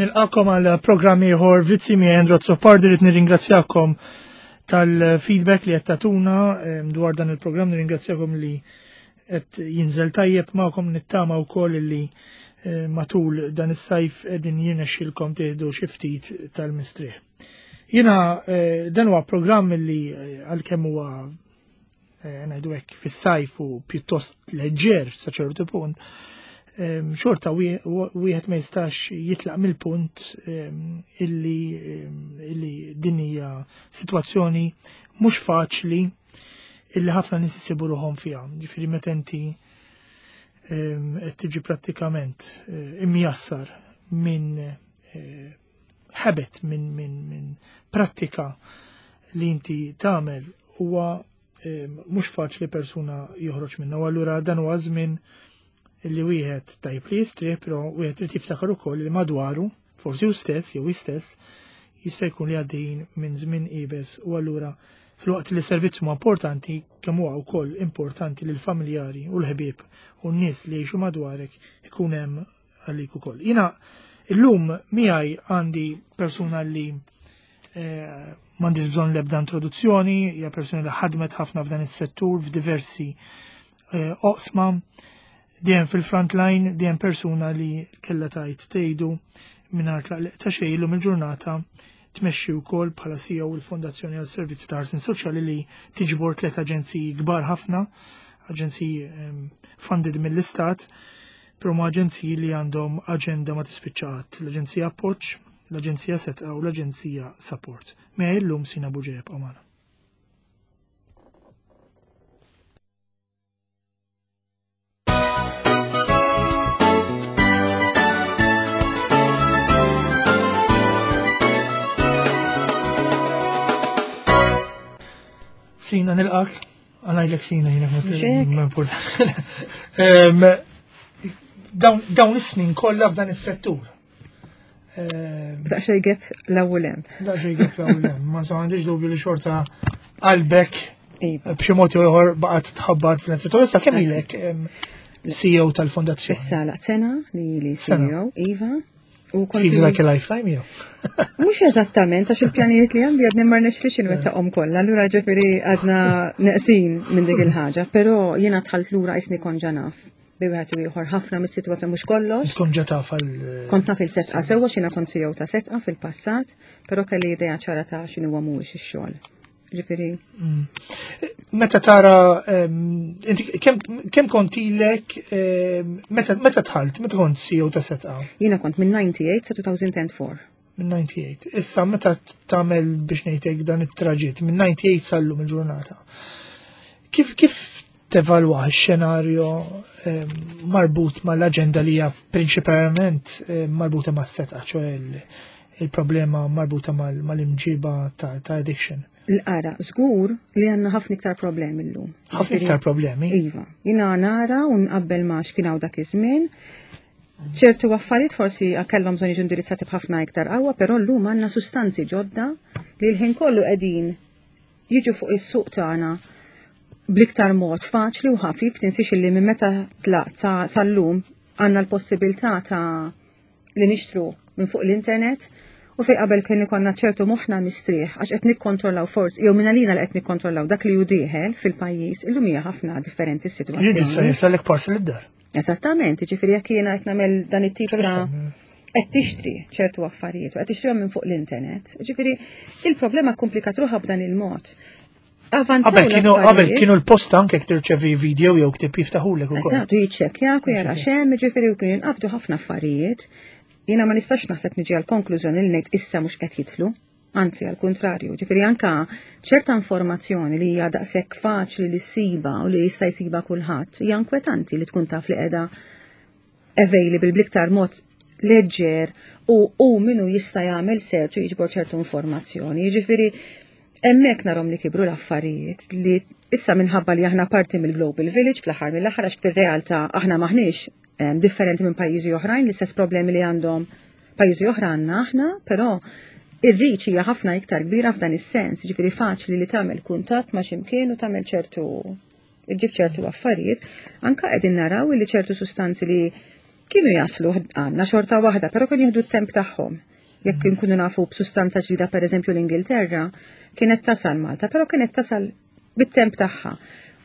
Nilqakom għal programm ieħor Vizzi mi Andrew Azzopardi li nirringrazzjakom tal-feedback li qed tagħtuna dwar dan il-programm nirringrazzjakom li qed jinżel tajjeb magħkom nittama wkoll li eh, matul dan is-sajf qegħdin jirnexxilkom tieħdu xi ftit tal-mistrieħ. Jiena eh, dan huwa programm li eh, għalkemm huwa ngħidu hekk fis-sajf u pjuttost leġġer sa ċertu punt, xorta wieħed ma jistax jitlaq mill-punt illi illi din hija sitwazzjoni mhux faċli illi ħafna nies isibu ruħhom fiha. Ġifieri meta inti qed tiġi prattikament eh, imjassar minn eh, habit, minn min, min prattika li inti tagħmel huwa mhux faċli persuna joħroġ minna. U allura dan huwa żmien li wieħed tajb li jistrieħ, però wieħed irid jiftakar ukoll li madwaru, forsi hu stess jew hi stess, jista' jkun li għaddejjin minn żmien iebes u allura filwaqt li servizz huma importanti kemm huwa wkoll importanti li l-familjari u l-ħbieb u n-nies li jgħixu madwarek ikun hemm għalik ukoll. Jiena illum miegħi għandi persuna li eh, m'għandix bżonn l-ebda introduzzjoni, hija persuna li ħadmet ħafna f'dan is-settur f'diversi eh, oqsma, dejjem fil-front line, dejjem persuna li kella tajt tgħidu mingħajr tlaqliq ta' xejn illum il-ġurnata tmexxi wkoll bħala CEO il-Fondazzjoni għal Servizzi ta' Ħarsien Soċjali li tiġbor tliet aġenziji kbar ħafna, aġenziji ehm, funded mill-Istat, però ma aġenziji li għandhom aġenda ma tispiċċa qatt, l-Aġenzija Appoġġ, l-Aġenzija Setqa u l-Aġenzija Support. Mea illum Sina Buġeb għamana. Sina nilqak, għanajlek sina jina ma Dawn is-snin kollha f'dan is-settur. Daqsxejn gap l-ewwel hemm. Daqsxejn gap l-ewwel hemm. Ma sa għandix dubju li xorta qalbek iva. b'xi mod ieħor baqgħet tħabbat fl-istitut. Issa kemm ilek CEO tal-fondazzjoni? Issa laqt sena li li CEO, Iva. U kont Feels like a lifetime jew. Mhux eżattament għax il-pjanijiet li għandi għadni ma rnexx li xinwettaqhom kollha, allura ġifieri għadna neqsin minn dik il-ħaġa, però jiena dħalt lura qisni kont ġa naf bi wieħed u ieħor ħafna mis-sitwazzjoni mhux kollox. Kont ġa taf għal. Kont naf il-setqa sewwa x'jiena kont CEO ta' setqa fil-passat, però kelli idea ċara ta' x'inhu huwa mhuwiex ix-xogħol. Ġifieri. Mm. Meta tara inti kemm kont ilek meta dħalt, meta kont CEO ta' setqa? Jiena kont minn 98 sa 2004. Minn 98. Issa meta tagħmel biex ngħidlek dan it-traġitt minn 98 sal-lum il-ġurnata. Kif kif tevalwa x-xenarju marbut mal-aġenda li hija prinċipalment marbuta mas-setqa, ċoe il-problema marbuta mal-imġiba ta' addiction? L-ara, żgur li għandna ħafna iktar problemi llum. Ħafna iktar problemi? Iva. Jiena nara u nqabbel ma' x'kien hawn dak iż-żmien. Ċertu affarijiet forsi kellhom bżonn jiġu indirizzati b'ħafna iktar qawwa, però llum għandna sustanzi ġodda li l-ħin kollu qegħdin jiġu fuq is-suq tagħna bl-iktar mod faċli u ħafif, tinsiex illi minn meta tlaqt sal-lum għandna l-possibilità ta' li nixtru minn fuq l-internet u fej qabel kien ikonna ċertu moħħna mistrieħ għax qed nikkontrollaw forsi jew minn għalina li qed nikkontrollaw dak li hu dieħel fil-pajjiż illum hija ħafna differenti s-sitwazzjoni. Jista' jisalek parcel id-dar. Eżattament, jiġifieri jekk jiena qed nagħmel dan it-tip ta' Interessanti. Qed tixtri ċertu affarijiet u qed tixtrihom minn fuq l-internet. Ġifieri il-problema komplikat ruħha b'dan il-mod. Qabel kienu qabel kienu l-posta anke jekk tirċevi video jew ktib jiftaħulek ukoll. Eżatt, u jiċċekkjak u jara xemm, ġifieri u kienu jinqabdu ħafna affarijiet. Jiena ma nistax naħseb niġi għal konklużjoni li ngħid issa mhux qed jidħlu. Anzi, għal kontrarju, ġifieri anka ċerta informazzjoni li hija daqshekk faċli li ssiba u li jista' jsiba kulħadd, hija inkwetanti li tkun taf li qiegħda available bl-iktar mod leġġer u u minu jista' jagħmel search u jiġbor ċertu informazzjoni. Jiġifieri hemmhekk narhom li kibru l-affarijiet li issa minħabba li aħna parti mill-Global Village fl-aħħar mill-aħħar għax fir-realtà aħna maħniex differenti minn pajjiżi oħrajn, l-istess problemi li għandhom pajjiżi oħra għandna aħna, però ir-reach hija ħafna iktar kbira f'dan is-sens, ġifieri faċli li tagħmel kuntatt ma' x'imkien u tagħmel ċertu iġġib ċertu affarijiet, anka qegħdin naraw li ċertu sustanzi li kienu jaslu għandna xorta waħda, però kienu jieħdu t-temp tagħhom. Jekk nkunu nafu b'sustanza ġdida pereżempju l-Ingilterra, kienet tasal Malta, però kienet tasal bit-temp tagħha.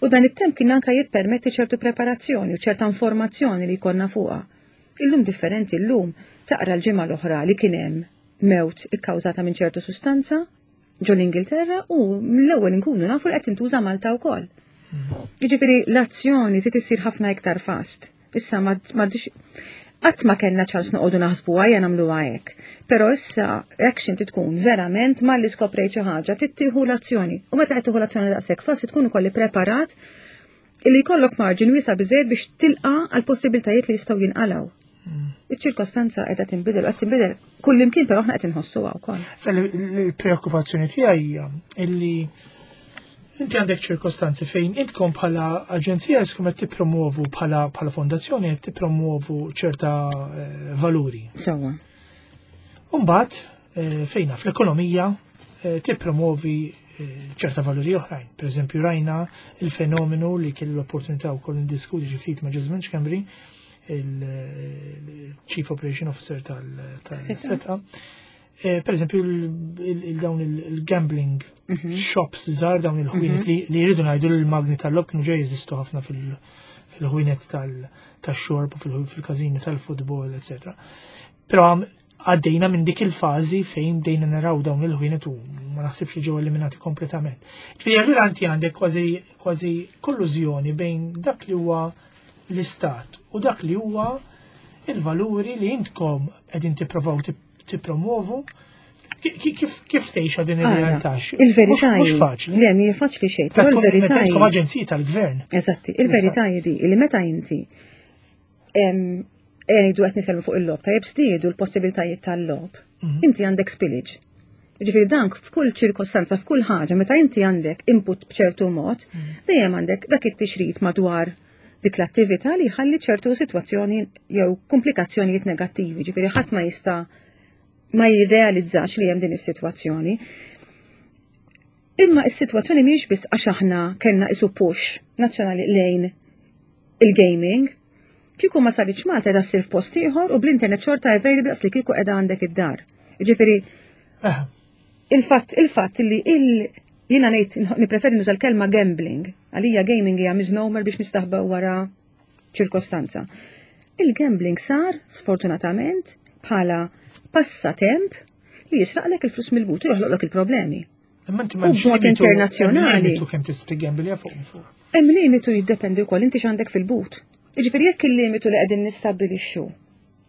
U dan it-temp kien anka jippermetti ċertu preparazzjoni u ċerta informazzjoni li jkollna fuqha. Illum differenti, illum taqra l-ġimgħa l-oħra li kien hemm mewt ikkawżata minn ċertu sustanza ġo l-Ingilterra u mill-ewwel inkunu nafu li qed tintuża Malta wkoll. Jiġifieri l-azzjoni trid issir ħafna iktar fast. Issa ma qatt ma kellna ċans noqogħdu naħsbu għajja nagħmluha hekk. Però issa action trid tkun verament malli skoprejt xi ħaġa trid tieħu l-azzjoni. U meta qed tieħu l-azzjoni daqshekk fast tkun ukoll ippreparat illi jkollok marġin wiesa' biżejjed biex tilqa' għal possibiltajiet li jistgħu jinqalgħu. Iċ-ċirkostanza qiegħda tinbidel, qed tinbidel kullimkien però aħna qed inħossuha wkoll. Sa l-preokkupazzjoni tiegħi hija illi inti għandek ċirkostanzi fejn intkom bħala aġenzija jiskom qed tippromuovu bħala bħala fondazzjoni qed tippromuovu ċerta eh, valuri. Sewwa. Umbagħad eh, fejna fl-ekonomija eh, tippromuovi ċerta valuri oħrajn. Per eżempju, rajna il-fenomenu li kelli l-opportunità wkoll ndiskuti xi ftit ma' Ġesmin Schembri, il-Chief Operation Officer tal-SETA. Eh, per eżempju, dawn il-gambling mhm. shops żgħar dawn il-ħwienet mhm. li jridu ngħidu l-magni tal-lob kienu ġej jeżistu ħafna fil-ħwienet tal-xorb u fil-każini tal-futbol, etc. Però għaddejna minn dik il-fażi fejn bdejna naraw dawn il-ħwienet u ma naħsibx li ġew eliminati kompletament. Ġifieri allura inti għandek kważi kważi kollużjoni bejn dak li huwa l-istat u dak li huwa il-valuri li intkom qegħdin tipprovaw tippromovu. Kif kif tgħixha din ir-realtà? Il-verità mhux faċli. Le, mhi faċli xejn, però il-verità. Intkom aġenziji tal-gvern. Eżatti, il-verità hi di li meta inti ngħidu qed nitkellmu fuq il-logħob, tajjeb żdiedu l-possibilitajiet tal-logħob. Mhm. Inti għandek spillage. Ġifieri dank f'kull ċirkostanza, f'kull ħaġa, meta inti għandek input b'ċertu mod, mhm. dejjem għandek dak it-tixrid madwar dik l-attività li jħalli ċertu sitwazzjoni jew komplikazzjonijiet negattivi, ġifieri ħadd ma jista' ma jirrealizzax li hemm din is-sitwazzjoni. Imma is-sitwazzjoni mhijiex biss għax aħna kellna isu push nazzjonali lejn il-gaming. Kieku ma saritx Malta qiegħda ssir f'post ieħor u bl-internet xorta available daqs li kieku qiegħda għandek id-dar. Jiġifieri il-fatt il-fatt li il jiena ngħid nippreferi nuża l-kelma gambling, għalija gaming hija misnomer biex nistaħbew wara ċirkostanza. Il-gambling sar, sfortunatament, bħala passatemp li jisraqlek il-flus mill-but u joħloqlok il-problemi. Imma inti ma b'mod internazzjonali. Limitu kemm tista' tiggembilja fuq fuq. Hemm limitu jiddependi wkoll inti x'għandek fil-but. Jiġifieri jekk il-limitu li qegħdin nistabbilixxu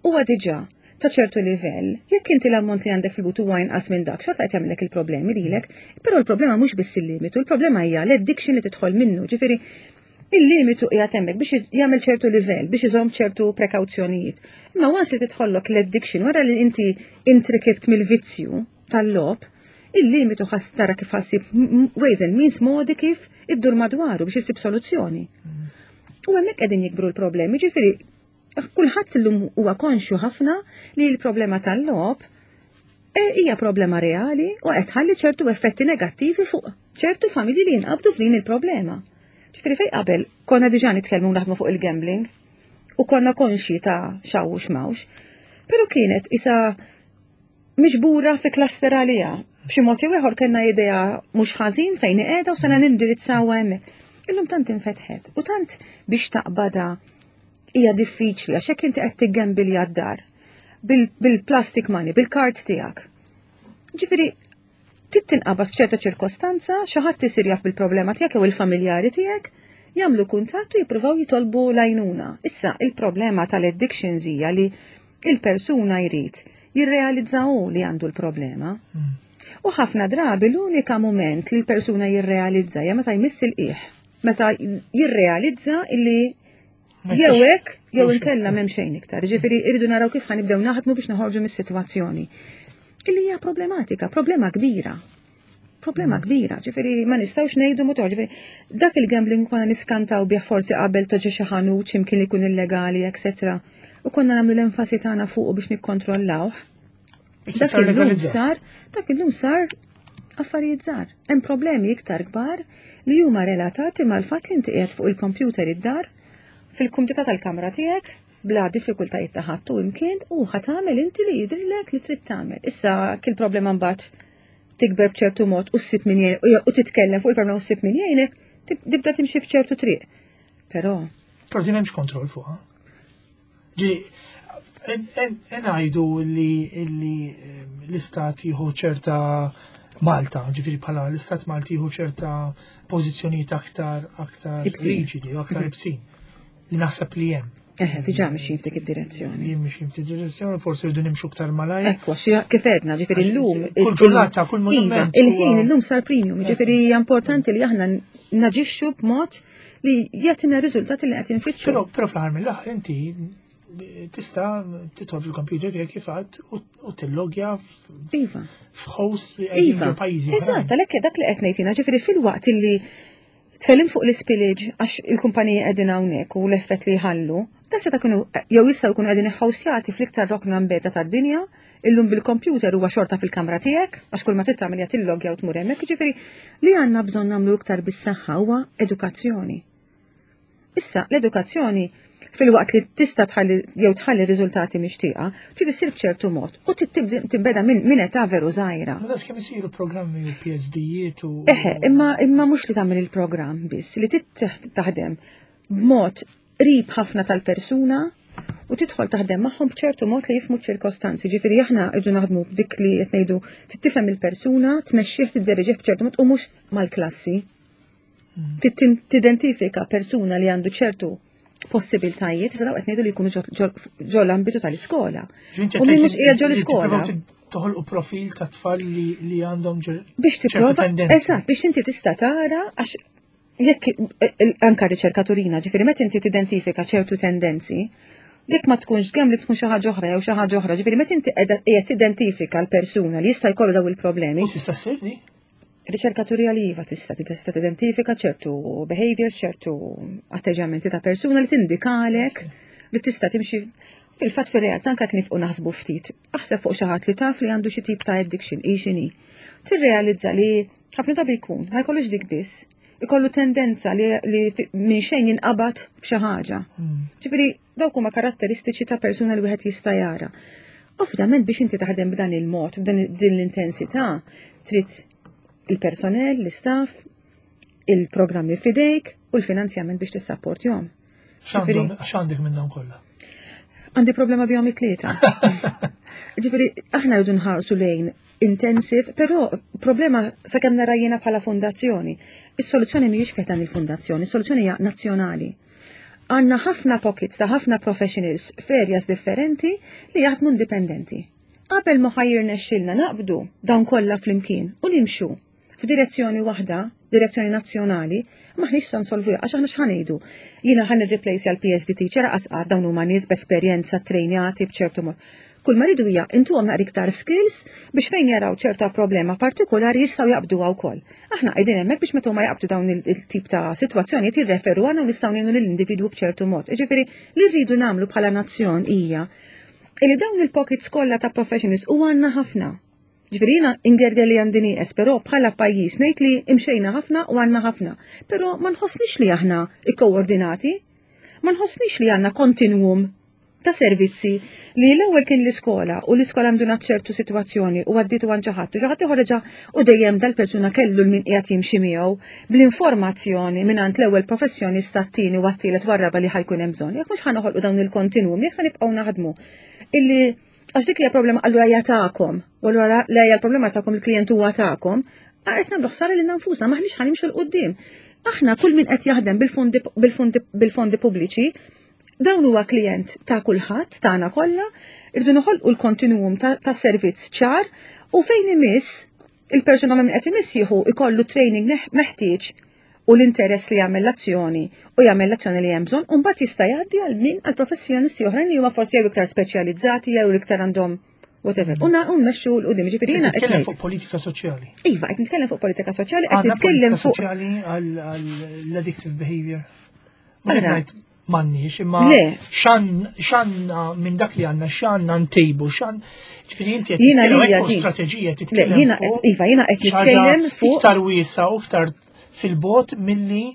huwa diġà ta' ċertu livell, jekk inti l-ammont li għandek fil-but huwa inqas minn dak, xorta qed jagħmlek il-problemi lilek, però l-problema mhux biss il-limitu, il-problema hija l-addiction li tidħol minnu, ġifieri il-limitu qiegħed hemmhekk biex jagħmel ċertu livell, biex iżomm ċertu prekawzjonijiet. Imma once li tidħollok l-addiction wara li inti intrikibt mill-vizzju, tal-logħob, il-limitu ħas tara kif ħassib ways and means modi kif iddur madwaru biex issib soluzzjoni. U hemmhekk qegħdin jikbru l-problemi, ġifieri kulħadd illum huwa konxju ħafna li l-problema tal-logħob e, hija problema reali u qed tħalli ċertu effetti negattivi fuq ċertu familji li jinqabdu f'din il-problema. Ġifieri fej qabel konna diġà nitkellmu naħdmu fuq il-gambling u konna konxji ta' xaw u xmawx, però kienet isa miġbura fi cluster għaliha. B'xi mod jew ieħor kellna idea mhux ħażin fejn qiegħda u sena nindirizzawha hemmhekk. Illum tant infetħet u tant biex taqbada hija diffiċli għax hekk inti qed tiggembilja d-dar. bil-plastic money, bil-kard tiegħek. Ġifieri trid tinqabad f'ċerta ċirkostanza, xi ħadd isir jaf bil-problema tiegħek jew il-familjari tiegħek, jagħmlu kuntatt u jippruvaw jitolbu l-għajnuna. Issa, il-problema tal-addictions hija li il-persuna jrid jirrealizza hu li għandu l-problema. U ħafna drabi l-unika moment li l-persuna jirrealizza hija meta jmiss il-qiegħ, meta jirrealizza illi jew hekk jew inkella m'hemm xejn iktar. Ġifieri irridu naraw kif ħa nibdew naħdmu biex noħorġu mis-sitwazzjoni. Illi hija problematika, problema kbira. Problema kbira, ġifieri ma nistgħux ngħidu ma ġifieri dak il-gambling konna niskantaw bih forsi qabel toġi xi ħanut x'imkien ikun illegali, etc. U konna nagħmlu l-enfasi tagħna fuqu biex nikkontrollawh. Issa Dak illum legalizzat. sar, dak illum sar affarijiet żgħar. Hemm problemi iktar kbar li huma relatati mal-fatt li inti qiegħed fuq il-computer id-dar fil-kumdità tal-kamra tiegħek bla diffikultajiet ta' ħadd u imkien u ħa tagħmel inti li jidhirlek li trid tagħmel. Issa kil problema mbagħad tikber b'ċertu mod u ssib min jgħin u titkellem fuq il-problema u ssib min jgħinek, tibda timxi f'ċertu triq. Però Però din hemmx kontroll fuqha. Ġi, ngħidu li l-istat jieħu ċerta Malta, ġifieri bħala l-istat Malti jieħu ċerta pożizzjonijiet aktar aktar Ibsin. riġidi u aktar ibsin. Li naħseb li hemm. Eħe, diġà mixjin f'dik id-direzzjoni. Li mixjin f'dik id-direzzjoni, forsi rridu nimxu aktar malajr. Ekku, għax kif edna, ġifieri Għax llum. kull ġurnata, kull Iva, monument Il-ħin huwa- illum sar premium, ġifieri hija importanti li aħna naġixxu b'mod li jagħtina riżultati li qed infittxu. Però fl-aħħar mill-aħħar inti tista' tidħol fil-computer tiegħek kif għadt u tillogja Iva. f'host li qegħdin Iva. ġo pajjiżi. Eżatt, għalhekk dak li qed ngħid ġifieri fil-waqt illi tkellim fuq l-spillage għax il-kumpaniji qegħdin hawnhekk u l-effett li jħallu, da seta' kienu jew jistgħu jkunu qegħdin iħħawsjati fl-iktar rokna mbeda tad-dinja, illum bil-computer huwa xorta fil-kamra tiegħek, għax kull ma trid tagħmel hija tillogja u tmur hemmhekk, jiġifieri li għandna bżonn nagħmlu iktar bis-saħħa huwa edukazzjoni. Issa, l-edukazzjoni fil-waqt li tista' tħalli jew tħalli riżultati mixtieqa, trid issir b'ċertu mod u trid tinbeda minn età veru żgħira. Ma das kemm isiru programmi u PhD-jiet u. Eħe, imma mhux li tagħmel il-programm biss, li trid taħdem b'mod qrib ħafna tal-persuna u tidħol taħdem magħhom b'ċertu mod li jifhmu ċ-ċirkostanzi. Ġifieri aħna rridu naħdmu b'dik li qed ngħidu trid tifhem il-persuna, tmexxih tidderiġih b'ċertu mod u mhux mal-klassi. Trid tidentifika persuna li għandu ċertu possibiltajiet, issa daw qed ngħidu li jkunu ġo l-ambitu tal-iskola. Ġifieri U min mhux qiegħed ġo l-iskola. Toħolqu profil ta' tfal li għandhom Biex ċertu tipprova, tendenzi. eżatt, biex inti tista' tara għax jekk anka riċerkaturina, ġifieri meta inti tidentifika ċertu tendenzi, jekk ma tkunx gambling tkun xi ħaġa oħra jew xi ħaġa oħra, ġifieri meta inti qiegħed tidentifika l-persuna li jista' jkollu daw il-problemi. U tista' ssir di? Riċerkaturija li iva tista' tidentifika ċertu behaviors, ċertu atteġġjamenti ta' persuna li tindikalek li tista' timxi fil-fatt fir-realtà anke nifqu naħsbu ftit. Aħseb fuq xi ħadd li taf li għandu xi tip ta' addiction, hi x'inhi. Tirrealizza li ħafna drabi jkun, ma jkollux dik biss, ikollu tendenza li minn xejn jinqabad f'xi ħaġa. Ġifieri dawk huma karatteristiċi ta' persuna li wieħed jista' jara. Ovvjament biex inti taħdem b'dan il-mod, b'dan din l-intensità, trid il-personel, l-istaff, il-programmi fidejk u l-finanzjament biex tissapportjhom. X'għandek minn dawn kollha? Għandi problema bihom it-tlieta. Ġifieri aħna rridu nħarsu lejn intensive, però problema sakemm nara jiena bħala fondazzjoni. Is-soluzzjoni mhijiex fih dan il-fondazzjoni, is-soluzzjoni hija nazzjonali. Għandna ħafna pockets ta' ħafna professionals f'areas differenti li jaħdmu indipendenti. Qabel ma ħa jirnexxilna naqbdu dawn kollha flimkien u nimxu f'direzzjoni waħda, direzzjoni nazzjonali, maħniex sa nsolvu għax aħna x'ħa ngħidu. Jiena ħa nirreplace għal PSD teacher qasqat dawn huma nies b'esperjenza trejnjati b'ċertu mod. Kull ma rridu hija intuhom naqra iktar skills biex fejn jaraw ċerta problema partikolari jistgħu jaqbduha wkoll. Aħna qegħdin hemmhekk biex meta huma jaqbdu dawn il-tip ta' sitwazzjonijiet jirreferu għandna u nistgħu ngħinu lill-individwu b'ċertu mod. Jiġifieri li rridu nagħmlu bħala nazzjon hija illi dawn il-pockets kollha ta' professionals u għandna ħafna. Ġifieri jiena ingerger li għandi nieqes, però bħala pajjiż ngħid li imxejna ħafna u għandna ħafna. Però ma nħossniex li aħna ikkoordinati, ma nħossniex li għandna kontinuum ta' servizzi li l-ewwel kien l-iskola u l-iskola għandu ċertu sitwazzjoni u għadditu għand xi ħadd u xi ħadd ieħor reġa' u dejjem dal-persuna kellu l-min qiegħed jimxi miegħu bl-informazzjoni mingħand l-ewwel professjonista t-tieni u għat-tielet warraba li ħa jkun hemm bżonn. Jekk mhux ħa noħolqu dawn il-kontinwum, jekk se nibqgħu naħdmu illi Għax dik hija problema allura hija tagħkom, u allura la hija l-problema tagħkom il-klijent huwa tagħkom, qed nagħmlu ħsara lilna nfusna, m'aħniex ħa nimxu 'l quddiem. Aħna kull min qed jaħdem bil-fondi pubbliċi, dawn huwa klijent ta' kulħadd, tagħna kollha, irridu noħolqu l-kontinuum ta' servizz ċar u fejn imiss il-persuna minn qed imiss jieħu ikollu training meħtieġ u l-interess li jagħmel l-azzjoni u jagħmel l-azzjoni li hemm bżonn, u mbagħad jista' jgħaddi għal min għal professjonisti oħrajn li huma forsi jew iktar speċjalizzati jew iktar għandhom whatever. U nmexxu 'l quddiem, ġifieri jiena qed nitkellem fuq politika soċjali. Iva, qed nitkellem fuq politika soċjali, qed nitkellem fuq soċjali għall-addictive behavior. M'għandniex, imma x'għandna minn dak li għandna, x'għandna ntejbu, x'għand ġifieri inti qed titkellem fuq strateġija titkellem. Iva, jiena qed nitkellem fuq iktar wiesa u iktar fil-bot milli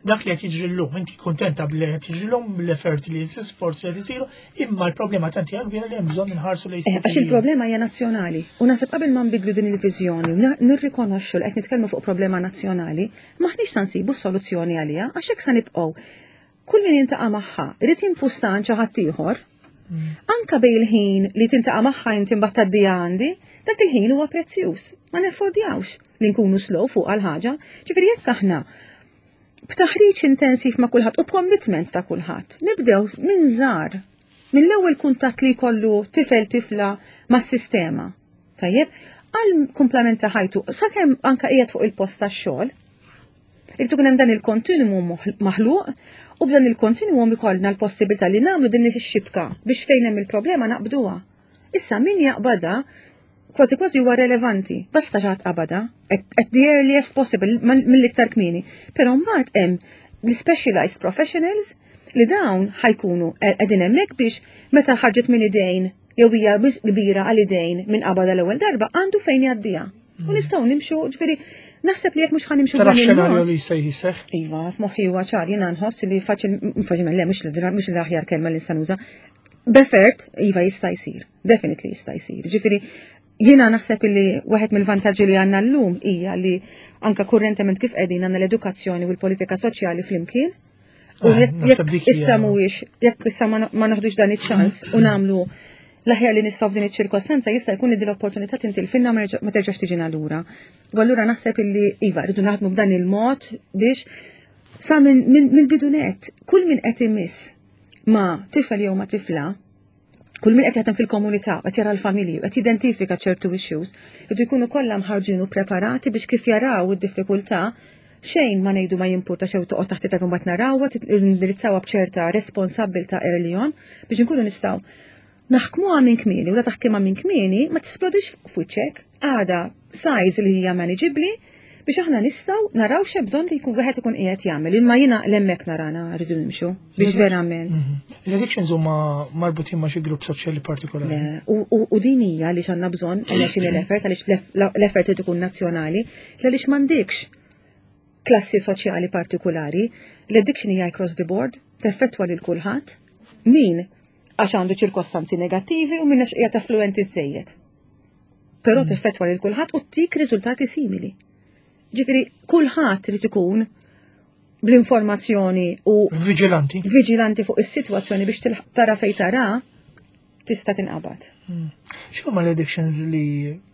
dak li qed jiġri llum. Inti kuntenta bli qed jiġri llum, bl-effort li l-isforzi li qed isiru, imma l-problema tant hija kbira li hemm bżonn inħarsu lejn eh, Għax il-problema hija nazzjonali. U naħseb qabel ma nbidlu din il-viżjoni u nirrikonoxxu li qed nitkellmu fuq problema nazzjonali, maħniex sa nsibu s-soluzzjoni għaliha għax hekk sa nibqgħu. Kull min jintaqa' magħha irid jimpusta għand xi ħadd ieħor. Anka bej il-ħin li tintaqa' magħha inti mbagħad tgħaddiha għandi, dak il-ħin huwa prezzjuż. Ma neffordjawx li nkunu slow fuq għal ħaġa. Ġifieri jekk aħna b'taħriġ intensiv ma' kulħadd u b'commitment ta' kulħadd, nibdew minn żgħar, mill-ewwel kuntatt li jkollu tifel tifla mas-sistema. Tajjeb, għal kumplament ta' ħajtu, sakemm anka qiegħed fuq il-post tax-xogħol, Irid ikun hemm dan il-kontinuum maħluq u b'dan il-kontinuum ikollna l-possibilità li nagħmlu din ix-xibka biex fejn hemm il-problema naqbduha. Issa min jaqbadha kważi kważi huwa relevanti, basta xi ħadd qabadha at the earliest possible mill-iktar kmieni. Però mbagħad hemm l-specialized professionals li dawn ħajkunu qegħdin hemmhekk biex meta ħarġet minn idejn jew hija kbira għal idejn minn qabadha l-ewwel darba għandu fejn jgħaddiha. U nistgħu nimxu, ġifieri, naħseb li jekk mhux ħanimxu Tara xenarju li se jiseħ. Iva, f'moħħi huwa ċar, jiena nħoss li faċil, faċil le mhux mhux l-aħjar kelma li nista' nuża. B'effort, iva jista' jsir, definitely jista' jsir. Ġifieri, jiena naħseb li waħed mill-vantaġġi li għandna llum hija li anka kurrentement kif qegħdin għandna l-edukazzjoni u l-politika soċjali flimkien. U eh, jekk issa mhuwiex, jekk issa ma naħdux dan iċ-ċans u nagħmlu l-aħjar li nistgħu f'din iċ-ċirkostanza jista' jkun li din l-opportunità tintilfinna ma terġax tiġina lura. U allura naħseb illi iva rridu naħdmu b'dan il-mod biex sa mill-bidu net kull min qed imiss ma' tifel jew ma' tifla kull min qed jaħdem fil-komunità, qed jara l-familji, qed jidentifika ċertu issues, idu jkunu kollha mħarġin u preparati biex kif jaraw id-diffikultà xejn ma ngħidu ma jimpurta xew toqgħod taħt it mbagħad narawha, nindirizzawha b'ċerta responsabbiltà early on biex inkunu nistgħu naħkmuha minn kmieni u la taħkimha minn kmieni ma tisplodix f'wiċċek għada size li hija manageably biex aħna nistgħu naraw x'hemm bżonn li jkun wieħed ikun qiegħed jagħmel. Imma jiena l-hemmhekk narana rridu nimxu biex verament. L-addictions huma marbutin ma' xi grupp soċjali partikolari. U din hija li għandna bżonn għaliex l-effort għaliex l-effort irid ikun nazzjonali, għaliex m'għandekx klassi soċjali partikolari, l-addiction hija across the board, teffettwa lil kulħadd. Min għax għandu ċirkostanzi negattivi u min għax qiegħed affluenti żejjed. Però teffettwa lil kulħadd u tik riżultati simili. Ġifieri kulħadd irid ikun bl-informazzjoni u viġilanti. Viġilanti fuq is-sitwazzjoni biex tara fejn tara tista' tinqabad. Hmm. X'huma l-addictions li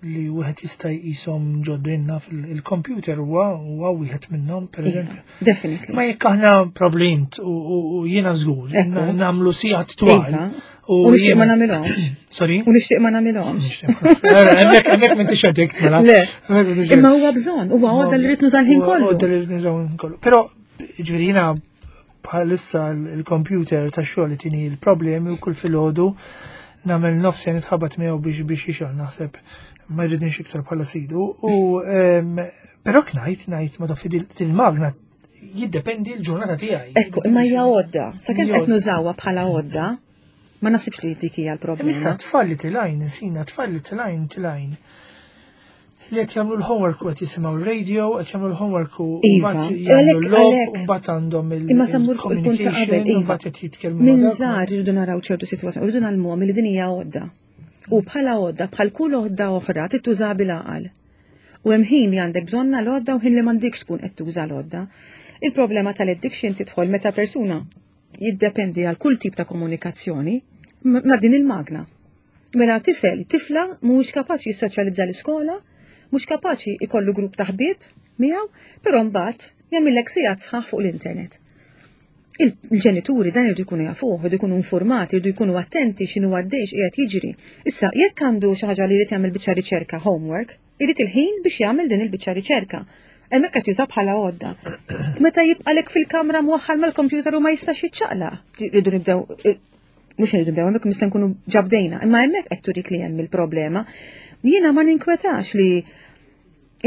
li wieħed jista' jqishom ġoddinna fil-computer huwa huwa wieħed minnhom pereżempju. Iva, definitely. Ma jekk aħna problint u jiena żgur nagħmlu sigħat twal. Iva. U nixtieq ma nagħmilhomx. Sorry? U nixtieq ma nagħmilhomx. Hemmhekk hemmhekk m'intix addict mela. Le. Imma huwa bżonn, huwa għodda li rrid nuża l-ħin kollu. Għodda li rrid nuża l-ħin kollu. Però ġifieri jiena bħalissa l-computer ta' xogħol tini l-problemi u kull filgħodu nagħmel nofsi nitħabat miegħu biex biex jixgħal naħseb ma jridinx iktar bħala sidu. U però knajt ngħid ma taf il-magna jiddependi l-ġurnata tiegħi. Ekku, imma hija għodda. Sakemm qed nużawha bħala għodda, ma naħsibx li dik hija l-problema. Issa tfal li tilajn, sina tfal li tilajn tilajn li qed jagħmlu l-homework u qed jisimgħu r-radio, qed jagħmlu l-homework u iva, mbagħad jagħmlu l-logħob u mbagħad għandhom il Imma sammur fuq il-punt ta' qabel, iva. Mbagħad qed jitkellmu. Minn żgħar irridu naraw ċertu sitwazzjoni, irridu nagħlmuhom li din hija għodda. U bħala għodda, bħal kull għodda oħra, tittuża bil-għaqal. U hemm ħin li għandek bżonna l-għodda u ħin li m'għandikx tkun qed tuża l-għodda. Il-problema tal-addiction tidħol meta persuna jiddependi għal kull tip ta' komunikazzjoni ma' din il-magna. Mela tifel, tifla mhuwiex kapaċi jissoċjalizza l-iskola, mhux kapaċi ikollu grupp ta' ħbieb miegħu, però mbagħad jagħmillek sigħat sħaħ fuq l-internet. Il-ġenituri dan irridu jkunu jafuh, irridu jkunu informati, irridu jkunu attenti x'inhu għaddej x'qiegħed jiġri. Issa, jekk għandu xi ħaġa li jrid jagħmel biċċa riċerka homework, irid il-ħin biex jagħmel din il-biċċa riċerka. Hemmhekk qed juża bħala għodda. Meta jibqalek fil-kamra mwaħħal mal-kompjuter u ma jistax jiċċaqlaq. Rridu nibdew mhux irridu nibdew hemmhekk nista' nkunu ġabdejna, imma hemmhekk qed turik li hemm il-problema. Jiena ma ninkwetax li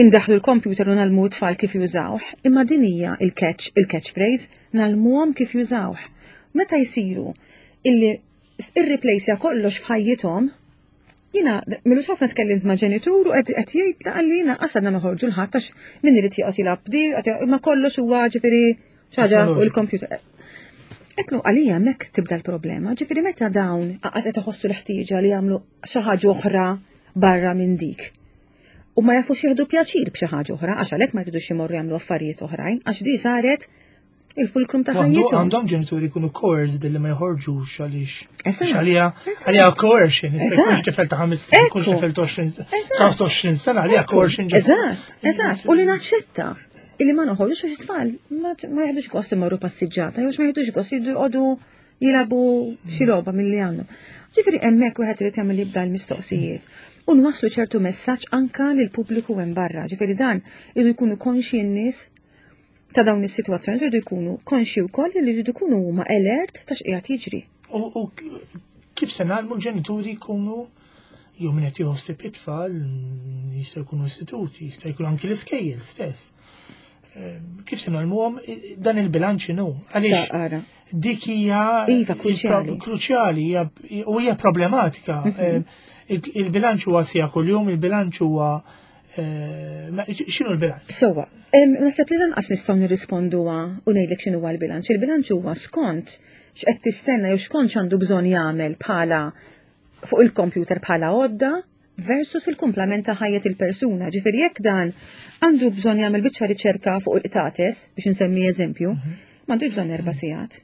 indaħlu l-computer u nalmu tfal kif jużawh, imma din hija il-catch, il-catch phrase, nalmuhom kif jużawh. Meta jsiru illi irreplaceja kollox f'ħajjithom, jina milux ħafna tkellimt ma' ġenitur u qed jgħid li jiena qasadna noħorġu l-ħadd għax min irid joqgħod jilgħab di, imma kollox huwa ġifieri xi fuq il-computer. Eklu għalija hemmhekk tibda l-problema, ġifieri meta dawn qas qed iħossu l-ħtieġa li jagħmlu xi ħaġa oħra barra minn dik. U ma jafux jieħdu pjaċir b'xi ħaġa oħra, għax għalhekk ma jridux imorru jagħmlu affarijiet oħrajn, għax di saret il-fulkrum ta' ħajjithom. Għandhom ġenituri jkunu coerced li ma joħorġux għaliex. Għalija, għalija coercion, jkunx tifel ta' ħames snin, jkunx tifel ta' 20 sena, għalija coercion. Eżatt, eżatt, u li naċċetta illi ma noħorġux għax it-tfal ma jieħdux gost imorru passiġġata, jew ma jieħdux gost jridu jqogħdu jilagħbu xi logħba milli għandhom. Ġifieri hemmhekk wieħed irid jagħmel jibda l-mistoqsijiet u nwasslu ċertu messaġġ anka lil pubbliku hemm barra. Ġifieri dan irridu jkunu konxi n-nies ta' dawn is-sitwazzjoni jridu jkunu konxi wkoll li jridu jkunu huma alert ta' x'qiegħed jiġri. U kif se nagħmlu l-ġenituri jkunu jew min qed jieħu ħsieb it-tfal jista' jkunu istituti, jista' jkun anki l-iskejjel stess. Ehm, kif se nagħmluhom dan il-bilanċ inhu? Għaliex dik hija iva, kruċjali. Kruċjali u hija problematika. Mhm. Ehm, il-bilanċ huwa sija kuljum, il-bilanċ huwa eh, x'inhu l-bilanċ? Sowa, naħseb li lanqas nistgħu nirrisponduha u ngħidlek x'inhu l-bilanċ. Il-bilanċ huwa skont x'qed tistenna jew xkont x'għandu bżonn jagħmel bħala fuq il-computer bħala għodda versus il-kumplament ta' ħajjet il-persuna. Ġifieri jekk dan għandu bżonn jagħmel biċċa riċerka fuq il-qtates, biex insemmi eżempju, mhm. m'għandux bżonn erba' sigħat.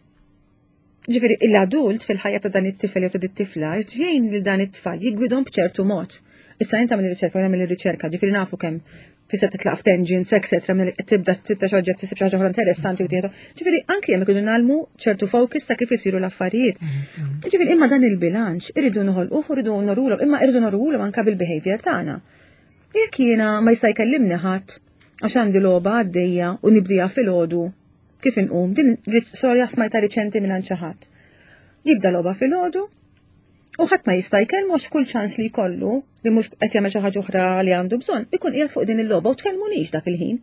Ġifieri l-adult fil-ħajja ta' dan it-tifel jew ta' dit-tifla jgħin lil dan it-tfal jiggwidhom b'ċertu mod. Issa jien tagħmel ir-riċerka u nagħmel ir-riċerka, ġifieri nafu kemm tista' titlaq f'tangents, etc. tibda tibda xi oġġett tisib xi ħaġa oħra interessanti u tieħdu. Ġifieri anke hemm ikunu nagħlmu ċertu focus ta' kif isiru l-affarijiet. Mm-hmm. Ġifieri imma dan il-bilanċ irridu noħolquh, irridu norulhom, imma irridu norulhom anke bil-behavior tagħna. Jekk jiena ma jista' jkellimni ħadd għax għandi logħba għaddejja u nibdija filgħodu kif inqum, din storja smajta riċenti minn xi ħadd. Jibda logħba filgħodu, U ħadd ma jista' jkellmu għax kull ċans li jkollu li mhux qed jagħmel xi ħaġa oħra li għandu bżonn, ikun qiegħed fuq din il-logħba u tkellmunix dak il-ħin.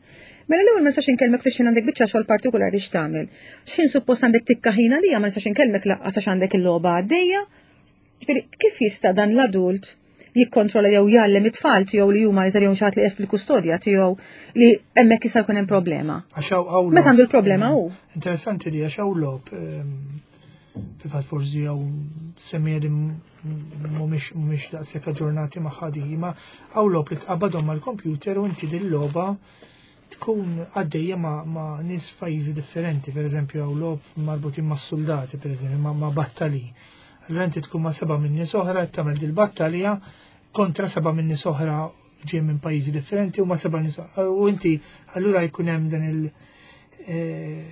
Mela l-ewwel ma nistax inkellmek fiex għandek biċċa xogħol partikolari x'tagħmel. X'ħin suppost għandek tikka ħin għalija ma nistax inkellmek laqqas għax għandek il-logħba għaddejja. Ġifieri kif jista' dan l-adult jikkontrolla jew jgħallem it-tfal tiegħu li huma iżgħar jew xi ħadd li qed fil-kustodja tiegħu li hemmhekk jista' jkun hemm problema. Meta għandu l-problema hu. Interessanti li għax hawn logħob ehm, Fil-fatt forsi jew semmija li mhumiex mhumiex daqshekk aġġornati magħha di, ma hawn logħob li tqabbadhom mal-kompjuter u inti din logħba tkun għaddejja ma', ma nies f'pajjiżi differenti, per eżempju hawn logħob marbutin ma' soldati, per eżempju, ma', ma battali. Allura inti tkun ma' seba' minn nies oħra qed tagħmel dil-battalja kontra seba' minn nies oħra ġej minn pajjiżi differenti u ma seba' nies u inti allura jkun hemm dan il- eh,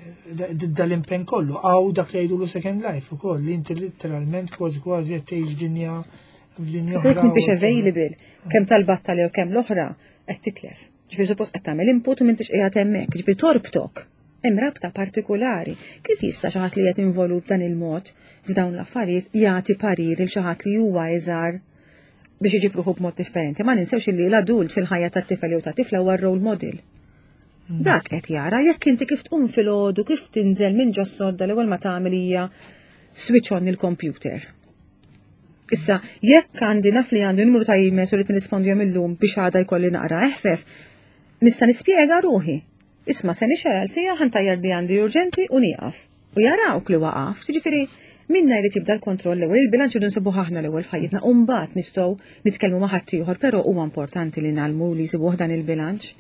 dal-impenn kollu. Għaw dak li jgħidulu second life ukoll li inti literalment kważi kważi qed tgħix dinja f'dinja. Se jekk m'intix available kemm tal-battalja u kemm l-oħra qed titlef. Ġifieri suppost qed tagħmel input u m'intix qiegħed hemmhekk, ġifieri torbtok. Hemm rabta partikolari. Kif jista' xi ħadd li qed involut b'dan il-mod f'dawn l-affarijiet jagħti parir il xi ħadd li huwa iżgħar biex iġib ruħu b'mod differenti. Ma ninsewx li l-adult fil-ħajja tat-tifel jew tat-tifla huwa role model. Hmm. Dak qed jara jekk inti kif tqum filgħodu, kif tinżel minn ġo sodda l-ewwel ma tagħmel hija switch on il-computer. Issa, jekk għandi naf li għandi numru ta' emails u li nirrispondihom illum biex għada jkolli naqra eħfef, nista' nispjega ruħi. Isma' se nixgħel għal sija ħantajjar li għandi urġenti u nieqaf. U jarawk li waqaft, jiġifieri minna jrid jibda l-kontroll l-ewwel, il-bilanċ irridu nsibuh aħna l-ewwel f'ħajjitna u mbagħad nistgħu nitkellmu ma' ħaddieħor, però huwa importanti li ngħallmu li jsibuh dan il-bilanċ.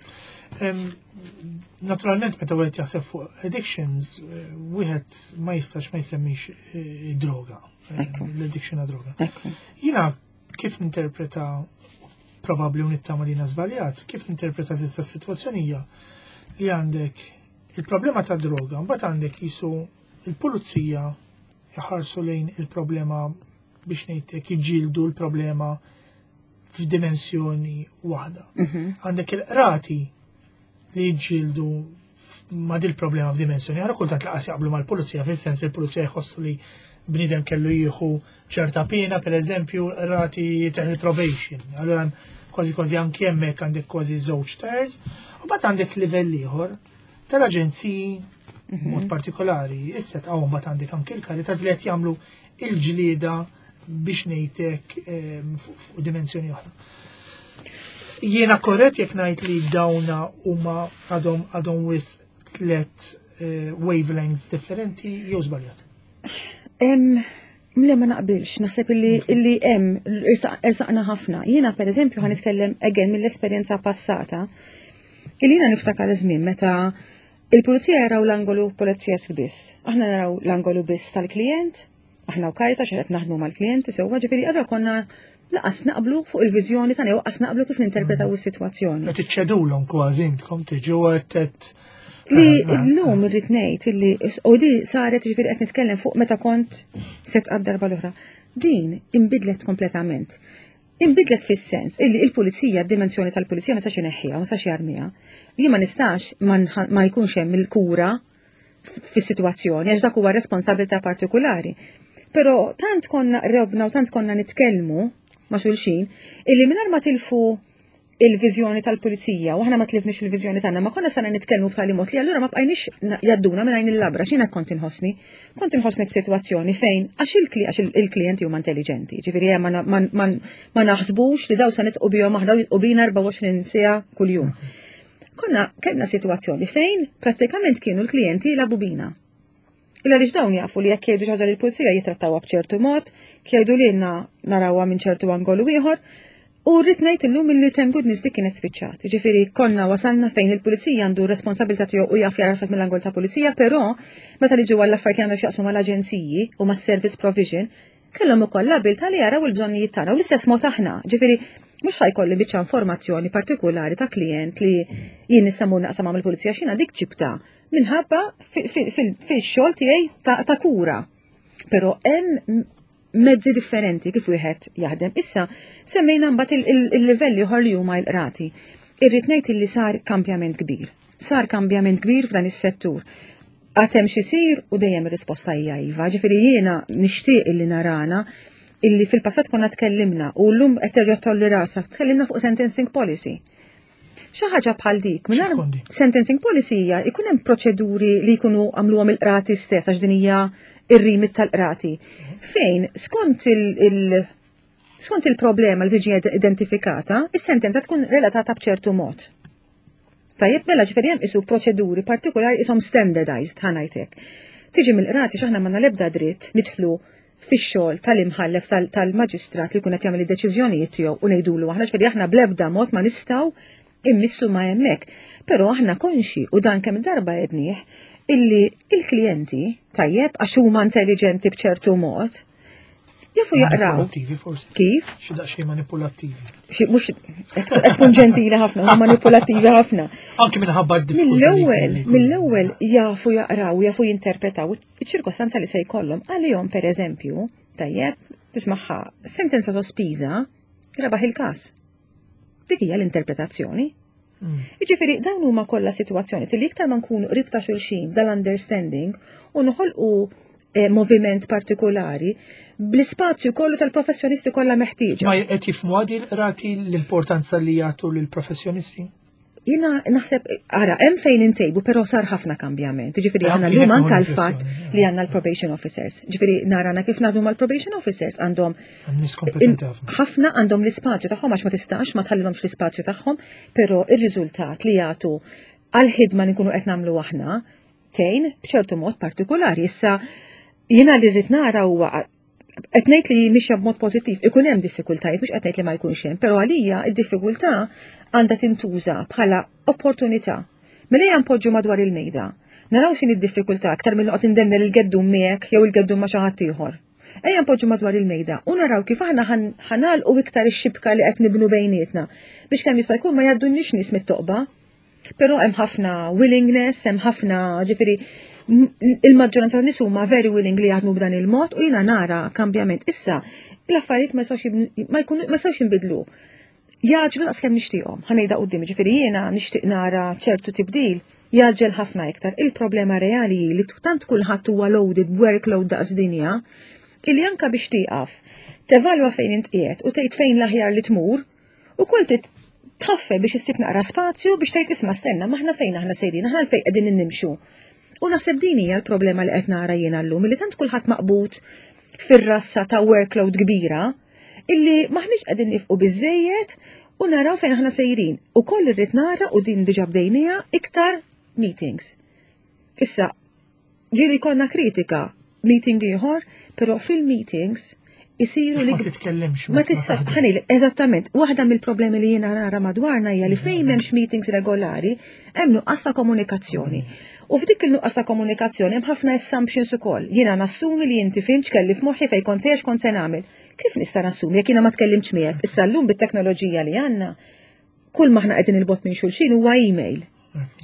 Naturalment meta wieħed jaħseb fuq addictions, eh, wieħed ma jistax ma jsemmix eh, droga. Eh, l-addiction għad droga. Jiena Kif ninterpreta probabbli u nittama li żbaljat, kif ninterpreta s'issa s-sitwazzjoni hija li għandek il-problema ta' droga, mbagħad għandek jisu il-pulizija jħarsu lejn il-problema biex ngħidlek jiġġieldu l-problema f'dimensjoni waħda. Għandek il-qrati li jiġġieldu ma' dil problema f'dimensjoni oħra, kultant laqas jaqblu mal-pulizija, fis-sens il-pulizija jħossu li bniedem kellu jieħu ċerta pena, per eżempju, rati teħel probation. Allura hemm kważi kważi anki hemmhekk għandek kważi żewġ ters, u mbagħad għandek livell ieħor tal-aġenziji mod partikolari, issa tqawm mbagħad għandek anki l-Caritas li qed jagħmlu il-ġlieda biex ngħidlek fuq dimensjoni oħra. Jiena korrett jekk ngħid li dawna huma għadhom wisq tlet wavelengths differenti jew żbaljat? Le, ma naqbilx, naħseb illi hemm ersaqna ħafna. Jiena per eżempju ħa nitkellem again mill-esperjenza passata. Illi jiena niftakar żmien meta il-pulizija jaraw l-angolu pulizija biss. Aħna naraw l-angolu biss tal-klient, aħna u Caritas qed naħdmu mal-klijenti sewwa, ġifieri allura konna laqas naqblu fuq il-viżjoni tagħna jew qas naqblu kif ninterpretaw is-sitwazzjoni. Qed iċċedulhom kważi intkom tiġu qed Li l-lum irrid ngħid illi u di saret, ġifieri qed nitkellem fuq meta kont set darba l-oħra. Din imbidlet kompletament. Imbidlet fis-sens illi il-pulizija, d-dimensjoni tal-pulizija ma sax ineħħiha, ma sax jarmiha. Jien ma nistax ma jkunx hemm il-kura fis-sitwazzjoni għax dak huwa responsabilità partikolari. Però tant konna qrobna u tant konna nitkellmu ma' xulxin illi mingħajr ma tilfu il-viżjoni tal-pulizija u aħna ma tlifniex il-viżjoni tagħna, ma konna sana nitkellmu b'tali mod li allura ma bqajniex jadduna minn għajn il-labra. X'jiena kont inħossni? Kont inħossni f'sitwazzjoni fejn għax il-klijenti huma intelligenti, ġifieri hemm ma naħsbux li daw sa nitqu bihom aħna u jitqu bina 24 siegħa kuljum. Konna kellna sitwazzjoni fejn prattikament kienu l-klijenti jilagħbu bina. Illa li dawn jafu li jekk jgħidu xi ħaġa lill-pulizija jitrattawha b'ċertu mod, jgħidu lilna narawha minn ċertu angolu ieħor. U rrid ngħid illum illi thank goodness dik kienet spiċċat. Ġifieri konna wasalna fejn il-pulizija għandu responsabilità tiegħu u jaf jarafet mill-angol ta' pulizija, però meta li ġew għall-affarijiet li għandhom x'jaqsmu mal-aġenziji u mas-service provision, kellhom ukoll l-abilità li jaraw il-bżonnijiet tagħna u l-istess mod aħna. Ġifieri mhux ħajkolli biċċa informazzjoni partikolari ta' klient li jien nista' mmur naqsam mal-pulizija x'jiena dik ġibta minħabba fil-xogħol tiegħi ta' kura. Però hemm mezzi differenti kif wieħed jaħdem. Issa semmejna mbagħad il-livelli oħor li huma l-qrati. Irrid ngħid li sar kambjament kbir. Sar kambjament kbir f'dan is-settur. Għad hemm x'isir u dejjem ir-risposta hija iva. Ġifieri jiena nixtieq illi narana illi fil-passat konna tkellimna u llum qed terġa' tolli rasha, tkellimna fuq sentencing policy. Xi ħaġa bħal dik, mingħajr sentencing policy hija jkun hemm proċeduri li jkunu għamluhom il-qrati stess għax din hija ir-remit tal-qrati. Fejn skont il-problema li tiġi identifikata, is-sentenza tkun relatata b'ċertu mod. Tajjeb, mela ġifieri hemm isu proċeduri partikolari isom standardized ħa ngħidlek. Tiġi mill-qrati x'aħna ma nalebda dritt nidħlu fix-xogħol tal-imħallef tal-maġistrat li jkun qed jagħmel id-deċiżjonijiet tiegħu u ngħidulu aħna, ġifieri aħna bl-ebda mod ma nistgħu immissu ma hemmhekk. Però aħna konxi u dan kemm darba għednieh illi il-klijenti tajjeb għax huma intelligenti b'ċertu mod jafu jaqraw. Manipulattivi forsi. Kif? Xi daqsxejn manipulattivi. Xi mhux qed tkun ġentili ħafna, huma manipulattivi ħafna. Anki minħabba d-diffikultà. Mill-ewwel jafu jaqraw, jafu jinterpretaw iċ-ċirkostanza li se jkollhom. Għalihom pereżempju, tajjeb, tismaħħa sentenza sospiża rebaħ il-każ. Dik hija l-interpretazzjoni. Jiġifieri dawn huma kollha sitwazzjoni li iktar ma nkunu qrib ta' xulxin dal-understanding u noħolqu moviment partikolari bl-ispazju kollu tal-professjonisti kollha meħtieġa. Ma qed jifhmu għadi l-qrati l-importanza li jagħtu lill-professjonisti? Jiena naħseb, ara, hemm fejn intejbu, però sar ħafna kambjament. Ġifieri aħna llum anke l-fatt li għandna l-probation officers. Ġifieri narana kif naħdmu mal-probation officers għandhom Nies kompetenti ħafna. ħafna għandhom l-ispazju tagħhom għax ma tistax ma tħallilhomx l-ispazju tagħhom, però ir-riżultat li jagħtu għal-ħidma li nkunu qed nagħmlu aħna tgħin b'ċertu mod partikolari. Issa jiena li rrid nara huwa qed ngħid li mixja b'mod pożittiv, ikun hemm diffikultajiet, mhux qed ngħid li ma jkunx hemm, però għalija d-diffikultà għandha tintuża bħala opportunità. Mela ejja npoġġu madwar il-mejda. Naraw x'inhi d-diffikultà aktar minn noqgħod indennel il-geddum miegħek jew il-geddum ma' xi ħadd ieħor. Ejja npoġġu madwar il-mejda u naraw kif aħna ħa nagħlqu iktar ix-xibka li qed nibnu bejnietna biex kemm jista' jkun ma jgħaddunniex nies mit-toqba. Però hemm ħafna willingness, hemm ħafna ġifieri il-maġġoranza tan nies huma very willing li jaħdmu b'dan il-mod u jiena nara kambjament. Issa, l-affarijiet ma jistgħux jinbidlu. Jgħaġġlu daqs kemm nixtieqhom, ħa ngħidha quddiem, ġifieri jiena nixtieq nara ċertu tibdil jgħaġġel ħafna iktar. Il-problema reali hi li tant kulħadd huwa loaded b'workload daqs dinja, illi anka biex tieqaf, tevalwa fejn int qiegħed u tgħid fejn l-aħjar li tmur, ukoll trid tħaffer biex issib naqra spazju biex tgħid isma' stenna m'aħna fejn aħna sejrin, aħna fejn qegħdin nimxu. U naħseb din hija l-problema li qed nara jiena llum, li tant kulħadd maqbud fir-rassa ta' workload kbira, illi maħniex qegħdin nifqu biżejjed u naraw fejn aħna sejrin. U koll irrid nara u din diġà bdejniha iktar meetings. Issa, ġieli konna kritika meeting ieħor, però fil-meetings isiru li. Ma titkellimx. Ma tista' ħanil, eżattament. Waħda mill-problemi li jiena nara madwarna hija li fejn m'hemmx meetings regolari, hemm nuqqas ta' komunikazzjoni. U f'dik il-nuqqas ta' komunikazzjoni hemm ħafna assumptions ukoll. Jiena nassumi li inti fhimt x'kelli f'moħħi fejn kont sejjer x'kont se nagħmel. Kif nista' nassumi jekk jiena ma tkellimtx miegħek? Issa llum bit-teknoloġija li għandna, kull ma aħna qegħdin il-bogħod minn xulxin huwa email.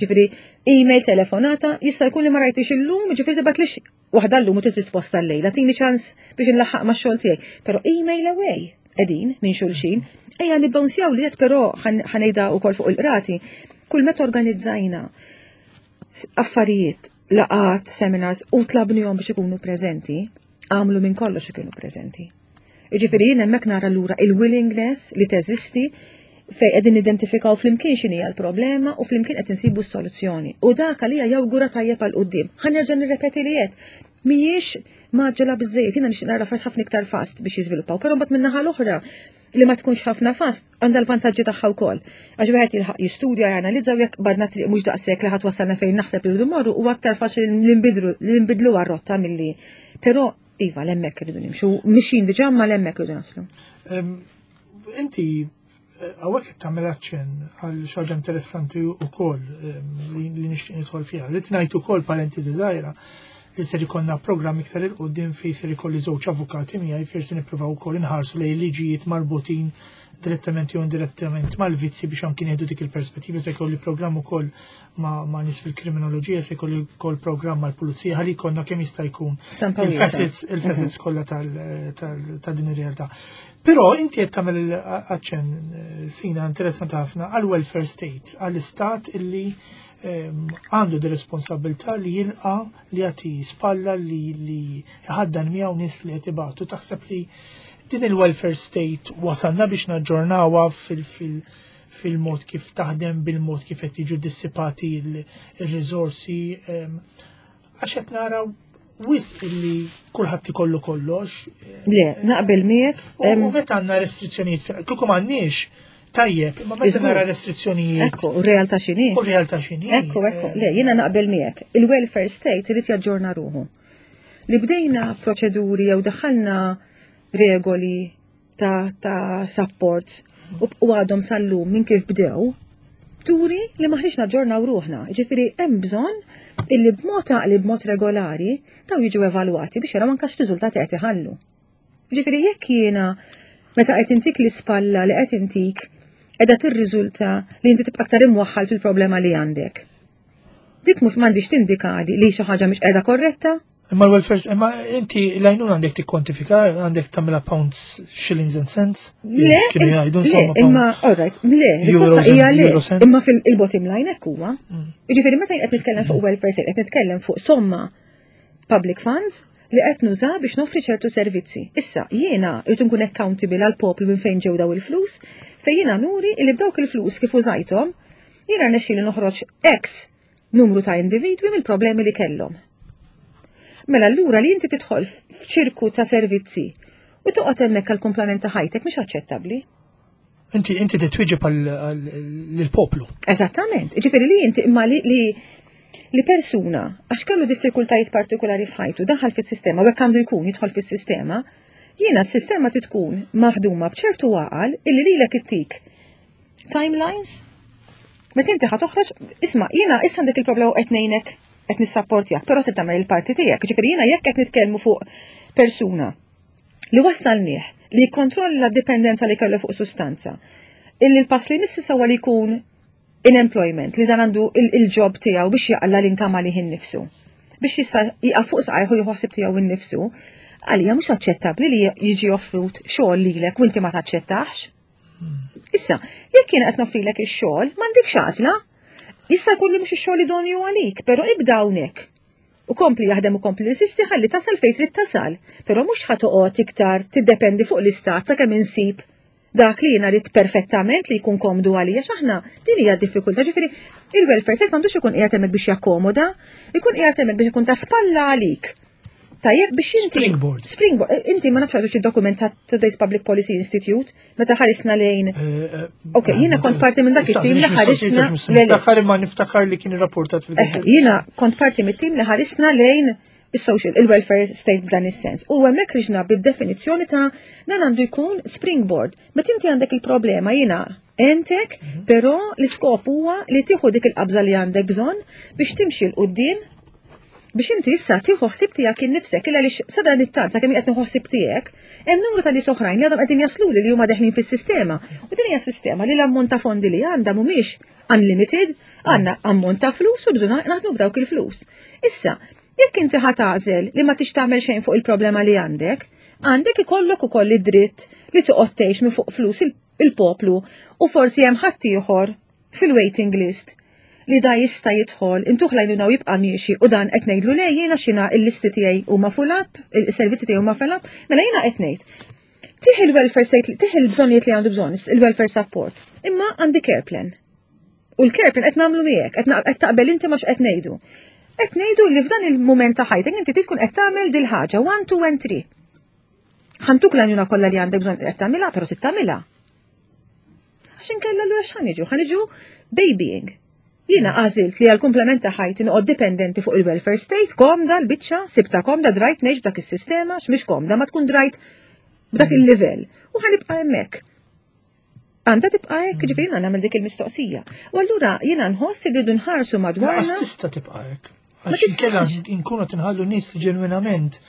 Ġifieri email, telefonata, jista' jkun li ma rajtix illum, ġifieri tibgħatlix waħda llum u trid risposta llejla, tini ċans biex inlaħħaq max-xogħol tiegħi. Però email away qegħdin minn xulxin, ejja nibbounsjaw li qed però ħa ngħidha wkoll fuq il-qrati, kull meta organizzajna affarijiet, laqgħat, seminars u tlabnihom biex ikunu preżenti, għamlu minn kollox ikunu preżenti. Jiġifieri jien hemmhekk nara lura il-willingness li teżisti fejn qegħdin nidentifikaw flimkien x'inhi l-problema u flimkien qed insibu s-soluzzjoni. U dak għalija jawgura tajjeb għal quddiem. Ħa nerġa' nirrepeti li qed mhijiex mgħaġġela biżejjed, jiena nixtieq nara ħafna iktar fast biex jiżviluppaw, però mbagħad min-naħa l-oħra li ma tkunx ħafna fast għandha l-vantaġġi tagħha wkoll. Għax wieħed jilħaq jistudja, janalizza u jekk badna triq mhux daqshekk li ħadd wasalna fejn naħseb li rridu morru huwa aktar faċli li nbidlu li nbidlu r-rotta milli. Però iva l-hemmhekk irridu nimxu, mixin diġà ma l-hemmhekk irridu naslu. Inti hawnhekk qed tagħmel aċċenn għal xi ħaġa interessanti wkoll li nixtieq nidħol fiha. Rrid ngħid ukoll parentesi żgħira li ser ikollna programm iktar 'il quddiem fejn ser ikolli żewġ avukati miegħi fejn se nippruvaw ukoll inħarsu lejn liġijiet marbutin direttament jew indirettament mal-vizzi biex anki nieħdu dik il-perspettiva se jkolli programm ukoll ma', ma nies fil-kriminoloġija se jkolli wkoll programm mal-pulizija ħalli jkollna kemm jista' jkun il-facets il-facets mhm. kollha ta' din ir-realtà. Però inti qed tagħmel aċċenn eh, sina interessanti ħafna għal welfare state, għall-istat illi għandu di responsabilità li jilqa li jagħti spalla li li jħaddan miegħu nies li qed ibatu. Taħseb li din il-welfare state wasalna biex naġġornawha fil- fil fil-mod kif taħdem, bil-mod kif qed jiġu dissipati il-riżorsi għax qed naraw wisq illi kulħadd ikollu kollox. Le, naqbel miegħek. U meta għandna restrizzjonijiet, kieku m'għandniex, tajjeb, imma meta nara restrizzjonijiet. Ekku, u realtà x'inhi. U realtà x'inhi. Ekku, ekku, le, jiena naqbel miegħek. Il-welfare state irid jaġġorna ruħu. Li bdejna proċeduri jew daħħalna regoli ta', ta support u għadhom sal-lum minn kif bdew, turi li maħniex naġġornaw ruħna. Ġifieri hemm bżonn illi b'mod għaqli b'mod regolari daw jiġu evalwati biex jaraw anke x'riżultati qed iħallu. Ġifieri jekk jiena meta qed intik l-ispalla li qed intik qiegħda tirriżulta li inti tibqa' aktar imwaħħal fil-problema li għandek. Dik mhux m'għandix tindikali li xi ħaġa mhix qiegħda korretta? Imma l-welfare, imma inti l-għajnuna għandek tikkontifika, għandek tagħmilha pounds, shillings and cents? Le, kienu jgħidu insomma. Imma, all right, le, risposta hija le. Imma fil-bottom line hekk huwa. Mm. Jiġifieri meta qed nitkellem fuq welfare state, qed nitkellem fuq somma public funds li qed nuża biex noffri ċertu servizzi. Issa, jiena rrid nkun accountable għal poplu minn fejn ġew daw il-flus, fejn jiena nuri li b'dawk il-flus kif użajthom, jiena rnexxieli noħroġ X numru ta' individwi mill-problemi li kellhom. Mela allura li inti tidħol f'ċirku ta' servizzi u toqgħod hemmhekk għal kumplament ta' ħajtek mhix aċċettabbli. Inti inti titwieġeb lill-poplu. Eżattament. Ġifieri li inti imma li li li persuna għax kellu diffikultajiet partikolari f'ħajtu daħal fis-sistema u hekk għandu jkun jidħol fis-sistema, jiena s-sistema tkun maħduma b'ċertu għaqal illi lilek ittik timelines Meta inti ħa toħroġ, isma' jiena issa għandek il-problema u qed ngħinek qed nissapportjak, però trid tagħmel il-parti tiegħek. Ġifieri jiena jekk qed nitkellmu fuq persuna li wassalnieh li jikkontrolla d-dipendenza li kellu fuq sustanza, illi l-pass li jmiss issa huwa li jkun in employment, li dan għandu il-job tiegħu biex jaqla l-inkam għalih innifsu. Biex jista' jieqaf fuq saqajh u jieħu ħsieb tiegħu innifsu, għalija mhux aċċettabbli li jiġi offrut xogħol lilek u inti ma taċċettax. Issa, jekk jiena qed noffrilek ix-xogħol, m'għandekx għażla. Jista' jkun li mhux ix-xogħol idonju għalik, però ibda hawnhekk. U kompli jaħdem u kompli insisti ħalli tasal fejn trid tasal, però mhux ħa toqgħod iktar tiddependi fuq l-istat sakemm insib dak li jiena rrid perfettament li jkun komdu għalija x'aħna din hija d-diffikultà. Ġifieri il-welfare state m'għandux ikun qiegħed hemmhekk biex jakkomoda, ikun qiegħed hemmhekk biex ikun ta' spalla għalik. Tajjeb biex inti. Springboard. Springboard. Eh, inti ma nafx għadu dokument ta' Today's Public Policy Institute, meta ħarisna lejn. Eh, eh, ok, jiena kont parti minn dak it-tim li ħarisna. Niftakar imma niftakar li kien irrapportat fil Jiena kont parti mit-tim li ħarisna lejn il-social, il-welfare state b'dan is-sens. U hemmhekk riġna bid-definizzjoni ta' dan għandu jkun springboard. Meta inti għandek il-problema jiena entek, però l-iskop huwa li tieħu dik il-qabża li għandek bżonn biex timxi 'l quddiem biex inti issa tieħu ħsieb tiegħek innifsek illa għaliex sa dan it-tant sakemm qed nieħu ħsieb tiegħek, hemm numru ta' nies oħrajn li għadhom qegħdin jasluli li huma deħlin fis-sistema. U din hija sistema li l-ammont ta' fondi li għandha mhumiex unlimited, għandna ammont ta' flus u bżonn naħdmu b'dawk il-flus. Issa, jekk inti ħa tagħżel li ma tix tagħmel xejn fuq il-problema li għandek, għandek ikollok ukoll id-dritt li toqgħod tgħix minn fuq flus il-poplu u forsi hemm ħaddieħor fil-waiting list li da jista' jidħol, intuh l-għajnuna u jibqa' miexi u dan qed ngħidlu le jiena x'ina il-listi tiegħi huma full up, il-servizzi tiegħi huma full up, mela jiena qed ngħid. Tih il-welfare state, tih il-bżonnijiet li għandu bżonn, il-welfare support, imma għandi care plan. U l-care plan qed nagħmlu miegħek, qed taqbel inti ma x'qed ngħidu. Qed ngħidu li f'dan il-mument ta' ħajtek inti tkun qed tagħmel dil-ħaġa 1, 2 and 3. Ħantuk l-għajnuna kollha li għandek bżonn qed tagħmilha, però tittamilha. Għax inkella allura x'ħa niġu? Ħa niġu babying. Jiena għażilt li għal-komplement ta' ħajti noqgħod dipendenti fuq il-welfare state, komda l-biċċa, sibta komda drajt ngħix b'dak is-sistema, x'mhix komda, ma tkun drajt b'dak mm. il-livell. U ħanibqa' hemmhekk. Għandha tibqa' hekk, mm. ġifieri jiena nagħmel dik il-mistoqsija. U allura jiena nħoss li rridu nħarsu madwarna. Tista' tibqa' hekk. Għax inkella nkunu tinħallu nies li ġenwinament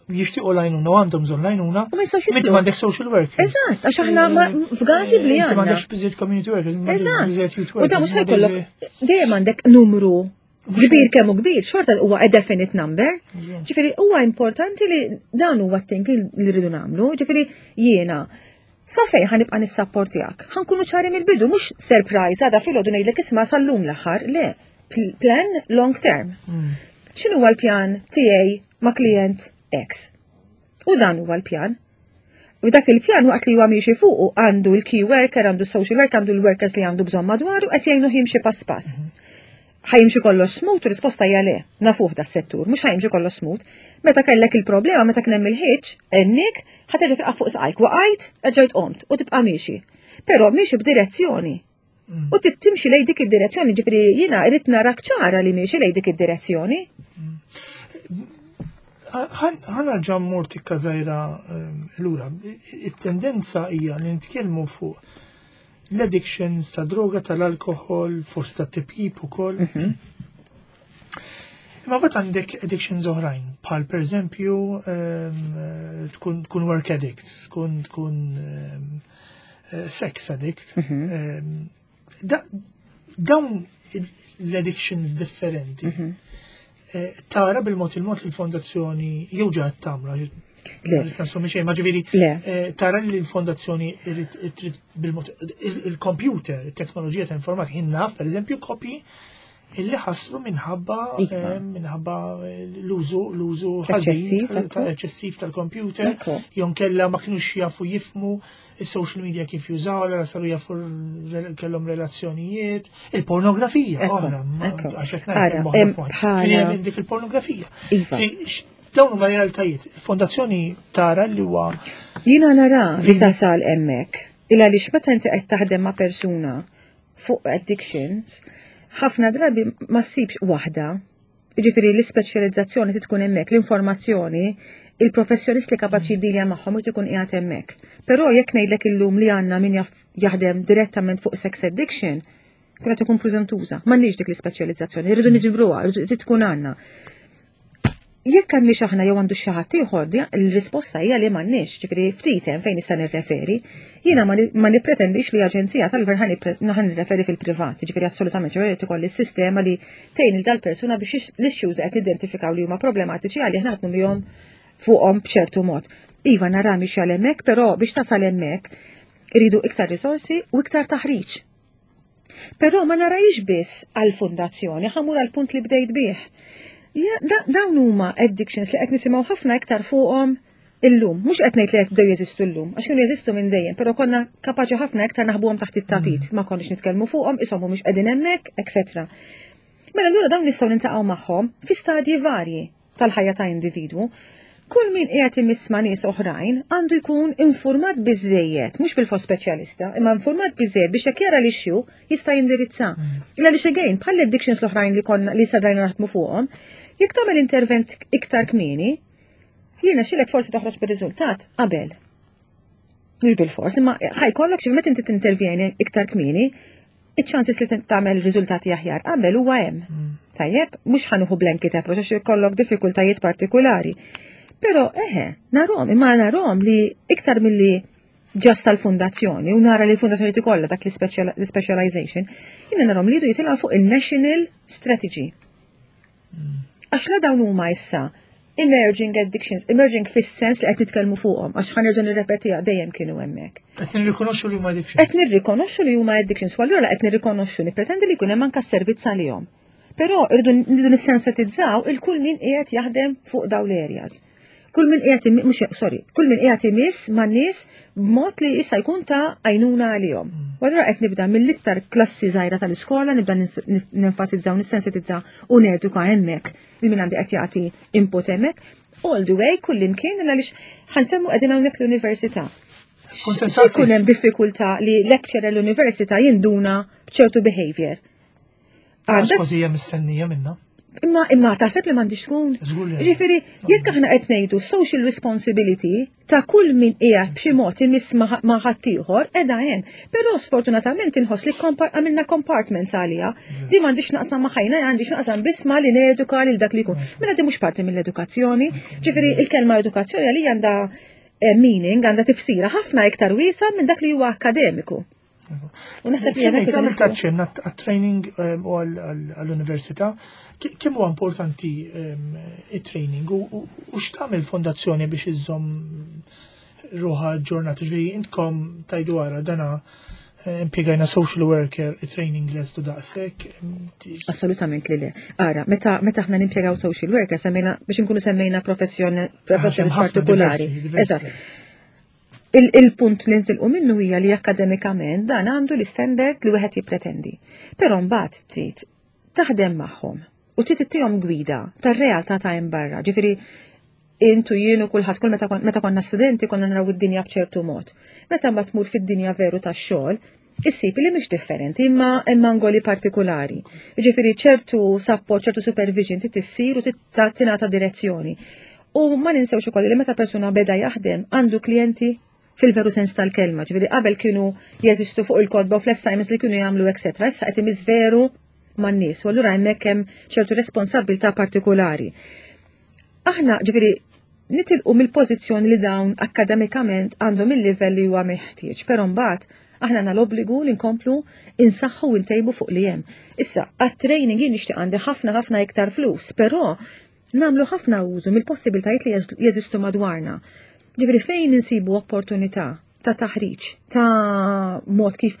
jixtiequ lajnuna u għandhom bżonn lajnuna. U ma jistgħux Inti m'għandek social workers. Eżatt, għax aħna eh, fgati bli għandna. Inti m'għandekx biżejjed community workers. Eżatt. U da mhux ħajkollok dejjem għandek numru kbir kemm kbir, xorta huwa a definite number. Ġifieri huwa importanti li dan huwa t-think li rridu nagħmlu, ġifieri jiena Sa fejn ħa nibqa' nissapportjak? Ħa nkunu ċari mill-bidu, mhux surprise għada filgħodu ngħidlek isma' sal-lum l-aħħar, le, plan long term. Mm. X'inhu huwa l-pjan tiegħi ma' klient X? U dan huwa l-pjan. U dak il-pjan waqt li huwa miexi fuqu għandu l-key worker, għandu social worker, għandu l-workers li għandu bżonn madwaru qed jgħinu jimxi pass pass. Mm -hmm. Ħa jimxi kollox smooth, risposta hija le, nafuh da settur, mhux ħa jimxi kollox smooth. Meta kellek il-problema, meta kien hemm il-ħiġ, ennik, ħa terġa' tibqa' fuq saqajk, waqajt, erġajt qomt u tibqa' miexi. Però miexi b'direzzjoni. Mm. U timxi lej dik id-direzzjoni, ġifieri jiena rrid narak ċara li miexi lej dik id-direzzjoni. Mm. Ħana ġa mmur tikka żgħira ehm, lura. It-tendenza hija li nitkellmu fuq l-addictions ta' droga tal-alkohol, forsi ta' tipjip ukoll. Mhm. Imma bat għandek addictions oħrajn, bħal per eżempju ehm, tkun work addict, tkun tkun ehm, eh, sex addict. Mhm. Ehm, dawn l-addictions differenti. Mhm. Eh, tara bil-mod il-mod li l-fondazzjoni jew ġa tagħmlu Nasumi xejn, ma ġifieri eh, tara li l-fondazzjoni trid bil-mod il-computer, il-teknoloġija ta' informatika, jien naf pereżempju kopji illi ħaslu minħabba iva. eh, minħabba l-użu l-użu ħażin eċċessiv tal-computer, jew kella ma kinux jafu jifmu il-social media kif jużaw, allora saru jafu kellhom relazzjonijiet, il-pornografija, oħra, għax qed ngħid dik il-pornografija. Iva. Dawn huma realtajiet. Il-fondazzjoni tara li huwa. Jiena nara li tasal hemmhekk. Il għaliex meta inti qed taħdem ma' persuna fuq addictions, ħafna drabi ma ssibx waħda Jiġifieri l-ispeċjalizzazzjoni trid tkun hemmhekk, l-informazzjoni, il-professjonist li kapaċi jiddilja magħhom irid ikun qiegħed hemmhekk. Però jekk ngħidlek illum li għandna min jaf jaħdem direttament fuq sex addiction, kun qed ikun preżentuża. M'għandniex dik l-ispeċjalizzazzjoni, irridu niġbruha, trid tkun għandna. Jekk għandniex aħna jew għandu xi ħadd ieħor, il-risposta hija li m'għandniex, ġifieri ftit hemm fejn nista' nirreferi. Jiena ma nippretendix li aġenzija tal-gvern ħa nirreferi fil-privat, ġifieri assolutament ġifieri ikolli s-sistema li tgħin il dal-persuna biex l-issues qed nidentifikaw li huma problematiċi għalih naħdmu bihom fuqhom b'ċertu mod. Iva nara mhix għal hemmhekk, però biex tasal hemmhekk iridu iktar risorsi u iktar taħriġ. Però ma narajx biss għall-fundazzjoni, ħa mmur għall-punt li bdejt bih. Dawn huma addictions li qed nisimgħu ħafna iktar fuqhom illum. Mhux qed ngħid li qed bdew jeżistu llum, għax kienu jeżistu minn dejjem, però konna kapaċi ħafna iktar naħbuhom taħt it-tapit, ma konniex nitkellmu fuqhom, ishom mhumiex qegħdin hemmhekk, etc. Mela allura dawn nistgħu nintaqgħu magħhom fi stadji varji tal-ħajja ta' individwu. Kull min qiegħed imiss ma' nies oħrajn għandu jkun infurmat biżejjed, mhux bil-fors speċjalista, imma infurmat biżejjed biex jekk jara l-issue jista' jindirizza. Illa li again, bħal addictions l-oħrajn li konna li sadrajna naħdmu fuqhom, jekk tagħmel intervent iktar kmieni, jiena xilek forsi toħroġ bir-riżultat qabel. Mhux bil-fors, imma ħajkollok xi meta inti tintervjeni iktar kmieni, iċ-chances li tagħmel riżultati aħjar qabel huwa hemm. Tajjeb, mhux ħa nieħu blanket approach għax ikollok diffikultajiet partikolari. Però eħe, narhom, imma narhom li iktar milli just tal-fundazzjoni u nara li l-fundazzjoni tikollha dak l-specialization, jiena narhom li jridu jitilgħu fuq il-national strategy. Għax la dawn huma issa emerging addictions, emerging fis-sens li qed nitkellmu fuqhom, għax ħa nerġa' nirrepetiha dejjem kienu hemmhekk. Qed nirrikonoxxu li huma addictions. Qed nirrikonoxxu li huma addictions, u allura qed nirrikonoxxu nippretendi li jkun hemm anke servizz għalihom. Però irridu nridu nissensitizzaw il kull min qiegħed jaħdem fuq dawn l-areas. Kull min qiegħed mhux sorry, kull min qiegħed imiss man-nies b'mod li issa jkun ta' għajnuna għalihom. U allura qed nibda mill-iktar klassi żgħira tal-iskola nibda nenfasizzaw, nissensitizzaw u neduka hemmhekk li min għandi qed jagħti input hemmhekk. All the way kullimkien għaliex ħa nsemmu qegħdin hawnhekk l-università. Jkun hemm diffikultà li lecturer l-università jinduna b'ċertu behavior. Għax kważi hija mistennija minna. Imma imma taħseb li m'għandix tkun. Ġifieri, jekk aħna qed ngħidu social responsibility ta' kull min qiegħed b'xi mod imiss ma' ħaddieħor qiegħda hemm. Però sfortunatament inħoss li għamilna compartments għaliha. Di m'għandix naqsam ma' ħajna, għandix naqsam biss ma' li neduka lil dak li jkun. Mela di mhux parti mill-edukazzjoni. Ġifieri il-kelma edukazzjoni għalija għandha meaning, għandha tifsira ħafna iktar wiesa minn dak li huwa akkademiku. U naħseb li hemmhekk Tagħmel taċċenna għat-training u għall-università. Kemm huwa importanti it-training u x'tagħmel fondazzjoni biex iżżomm ruħha ġurnata ġifieri intkom tajdu wara dana impjegajna social worker, training lest u daqshekk. Assolutament li le. Ara, meta aħna nimpjegaw social worker semmejna biex inkunu semmejna professjoni partikolari. Eżatt. Il-punt li ntilqu minnu hija li akademikament dan għandu l-standard li wieħed jippretendi. Però mbagħad trid taħdem magħhom u trid ittihom gwida tar-realtà ta' hemm barra. Ġifieri intu jien u kulħadd kull meta konna studenti konna naraw id-dinja b'ċertu mod. Meta mbagħad tmur fid-dinja veru tax-xogħol, issib li mhix differenti imma hemm angoli partikolari. Ġifieri ċertu support, ċertu supervision trid issir u tingħata direzzjoni. U ma ninsewx ukoll li meta persuna beda jaħdem għandu klijenti fil-veru sens tal-kelma, ġifieri qabel kienu jeżistu fuq il-kotba u fl-assignments li kienu jagħmlu etc. Issa qed imiss veru man-nies u allura hemmhekk hemm ċertu responsabilità partikolari. Aħna ġifieri nitilqu mill-pożizzjoni li dawn akademikament għandhom il-livell li huwa meħtieġ, però mbagħad aħna għandna l-obbligu li nkomplu insaħħu u ntejbu fuq li hemm. Issa, għat-training jien nixtieq għandi ħafna ħafna iktar flus, però nagħmlu ħafna użu mill-possibiltajiet li jeżistu madwarna. Ġifieri fejn insibu opportunità ta' taħriġ, ta' mod kif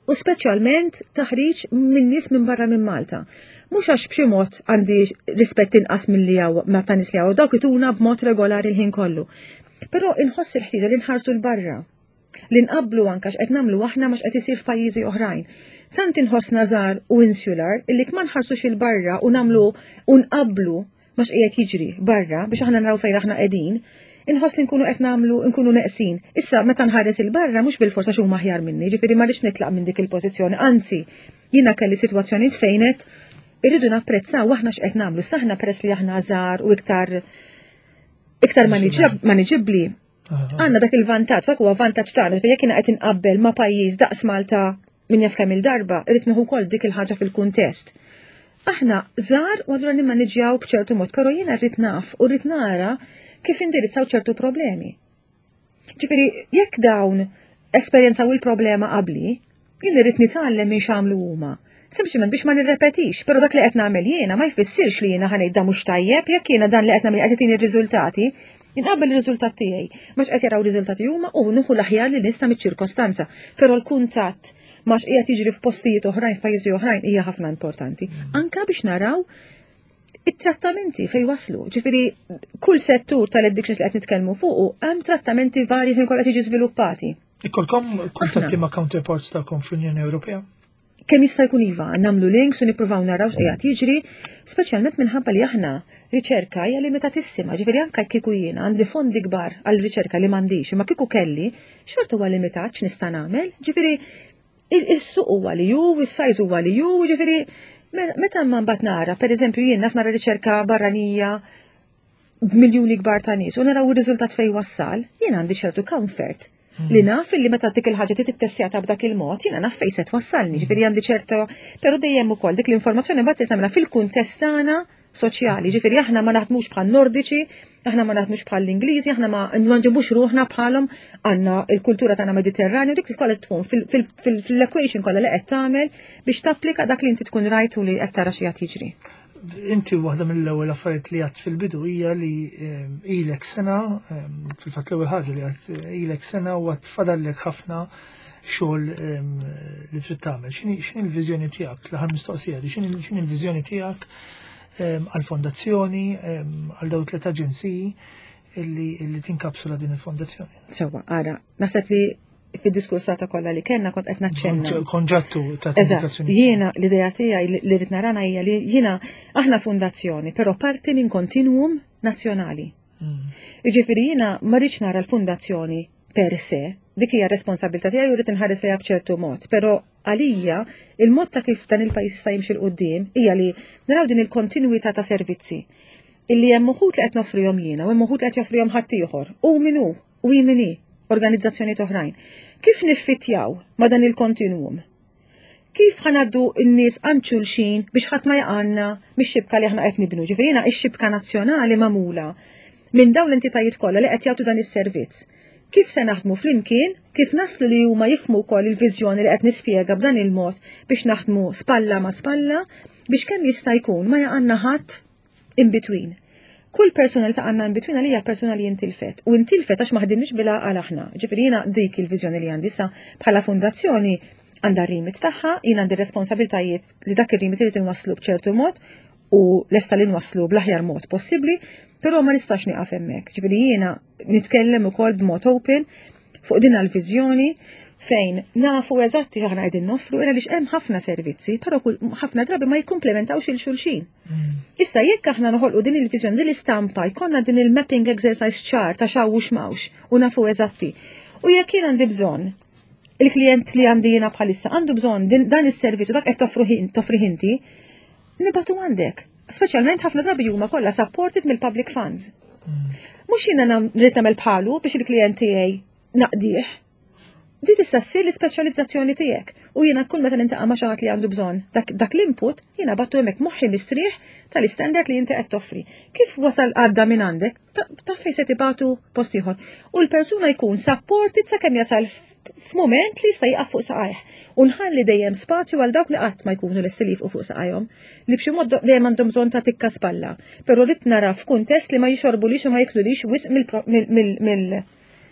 u speċjalment taħriġ minn nies minn barra minn Malta. Mhux għax b'xi mod għandi rispett inqas milli hawn ma ta' nies li hawn dawk ituna b'mod regolari l-ħin kollu. Però inħoss il-ħtieġa li nħarsu l-barra li nqablu anka x'qed nagħmlu aħna ma x'qed isir f'pajjiżi oħrajn. Tant inħossna żgħar u insular illi ma nħarsux il-barra u nagħmlu u nqablu ma x'qiegħed jiġri barra biex aħna naraw fejn aħna qegħdin, inħoss li nkunu qed nagħmlu nkunu neqsin. Issa meta nħares il-barra mhux bil-forsa x'huma aħjar minni, ġifieri ma rridx nitlaq minn dik il-pożizzjoni, anzi jiena kelli sitwazzjonijiet fejn qed irridu napprezzaw aħna x'qed nagħmlu. Saħna peress li aħna żgħar u iktar iktar maniġibbli Għandna dak il-vantaġġ, dak huwa vantaġġ tagħna, jekk jiena qed inqabbel ma' pajjiż daqs Malta min jaf kemm il-darba, irrid nieħu wkoll dik il-ħaġa fil-kuntest. Aħna żgħar u allura nimmaniġjaw b'ċertu mod, però jiena rrid naf u rrid nara kif indirizzaw ċertu problemi. Ġifieri, jekk dawn esperjenzaw il-problema qabli, jien irrid nitgħallem minn x'għamlu huma. Sempliċement biex ma nirrepetix, però dak li qed nagħmel jiena ma jfissirx li jiena ħanejt da mhux tajjeb, jekk jiena dan li qed nagħmel qed itini r-riżultati, inqabbel ir-riżultat tiegħi. Mhux qed jaraw riżultati huma u nieħu l-aħjar li nista' miċ-ċirkostanza. Però l-kuntatt ma x'qiegħed jiġri f'postijiet oħrajn, f'pajjiżi oħrajn hija ħafna importanti. Anka biex naraw it-trattamenti fej waslu. Ġifieri kull settur tal-addictions li qed nitkellmu fuqu hemm trattamenti varji fejn kollha tiġi żviluppati. Ikolkom kuntatti ma' counterparts tagħkom fl-Unjoni Ewropea? Kemm jista' jkun iva, nagħmlu links u nippruvaw naraw x'qiegħed jiġri, speċjalment minħabba li aħna riċerka hija limitatissima, ġifieri anke kieku jiena għandi fondi kbar għal riċerka li m'għandix, imma kieku kelli, xorta huwa limitat x'nista' nagħmel, ġifieri is-suq huwa li hu, is-sajż huwa li hu, ġifieri meta ma mbagħad nara, pereżempju jien naf nara riċerka barranija b'miljuni kbar ta' nies u naraw ir-riżultat fejn wassal, jien għandi ċertu comfort li naf li meta dik il-ħaġa trid ittestjata b'dak il-mod, jiena naf fejn se twassalni, ġifieri għandi ċerta, però dejjem ukoll dik l-informazzjoni mbagħad trid nagħmilha fil-kuntest tagħna soċjali, ġifieri aħna ma naħdmux bħal Nordiċi, aħna ma naħdmux bħal l-Ingliżi, aħna ma nġibux ruħna bħalhom għandna il-kultura tagħna Mediterranju, dik kollha tkun fil-equation kollha li qed tagħmel biex tapplika dak li inti tkun rajt u li qed tara xi qed jiġri. Inti waħda mill-ewwel affarijiet li għadt fil-bidu hija li ilek sena, fil-fatt l-ewwel ħaġa li għadt ilek sena u għad fadallek ħafna xogħol li trid tagħmel. X'inhi l-viżjoni tiegħek? L-aħħar mistoqsija di, x'inhi l-viżjoni tiegħek għall-fondazzjoni, għal dawn tliet aġenziji illi tinkapsula din il-fondazzjoni? Sewwa, ara, naħseb li fid-diskursata kollha li kellna kont qed naċċenna. Konġattu ta' komunikazzjoni. Jiena l-idea tiegħi li rrid narana hija li jiena aħna fondazzjoni, però parti minn kontinuum nazzjonali. Jiġifieri jiena ma rridx nara l-fondazzjoni per se, dik hija responsabilità tiegħi u rrid inħares lejha b'ċertu mod, però għalija il-mod ta' kif dan il-pajjiż jista' jimxi 'l quddiem hija li naraw din il-kontinwità ta' servizzi illi hemm uħud li qed noffrihom jiena u hemm uħud li qed joffrihom ħaddieħor. U min hu, u hi min hi, organizzazzjonijiet oħrajn. Kif niffittjaw ma' dan il-kontinwum? Kif ħa ngħaddu n-nies għand xulxin biex ħadd ma jaqgħalna mix-xibka li aħna qed nibnu? Ġifieri jiena x-xibka nazzjonali magħmula minn dawn l-entitajiet kollha li qed jagħtu dan is-servizz. Kif se naħdmu flimkien, kif naslu li huma jifhmu wkoll il-viżjoni li qed nispjega b'dan il-mod biex naħdmu spalla ma' spalla biex kemm jista' jkun ma jaqgħalna ħadd in between. Kull persuna li taqgħalna in between għalija persuna li intilfet. U intilfet għax ma ħdimniex bil-għaqal aħna. Ġifieri jiena dik il-viżjoni li għandi sa bħala fondazzjoni għandha r-remit tagħha, jien għandi responsabiltajiet li dak ir-remit irid inwasslu b'ċertu mod u lesta li nwasslu bl-aħjar mod possibbli, però ma nistax nieqaf hemmhekk. Ġifieri jiena nitkellem ukoll b'mod open fuq din l-viżjoni fejn nafu eżatti aħna qegħdin noffru ira għaliex hemm ħafna servizzi, però ħafna drabi ma jikkumplementawx il xulxin. Issa jekk aħna noħolqu din il-viżjoni, din l-istampa, jkollna din il-mapping exercise ċar ta' xaw u x'mawx u nafu eżatti. U jekk jien għandi bżonn il-klient li għandi jiena bħalissa għandu bżonn dan is-servizz u dak qed toffri inti, nibatu għandek. Speċjalment ħafna drabi huma kollha supported mill-public funds. Mhux jiena rrid nagħmel bħalu biex il-klient tiegħi naqdih. Di tista' ssir l-ispeċjalizzazzjoni tiegħek u jiena kull meta nintaqa' ma' xi ħadd li għandu bżonn dak, dak l-input jiena battu hemmhekk moħħi mistrieħ tal-istandard li inti qed toffri. Kif wasal għadda minn għandek, taf fejn se tibatu post ieħor. U l-persuna jkun supported sakemm jasal f'mument li jista' jieqaf fuq saqajh. U nħalli dejjem spazju għal dawk li qatt ma jkunu lesti li jifqu fuq saqajhom, li b'xi mod dejjem għandhom bżonn ta' tikka spalla. Però rrid nara f'kuntest li ma jixorbulix u ma jiklulix wisq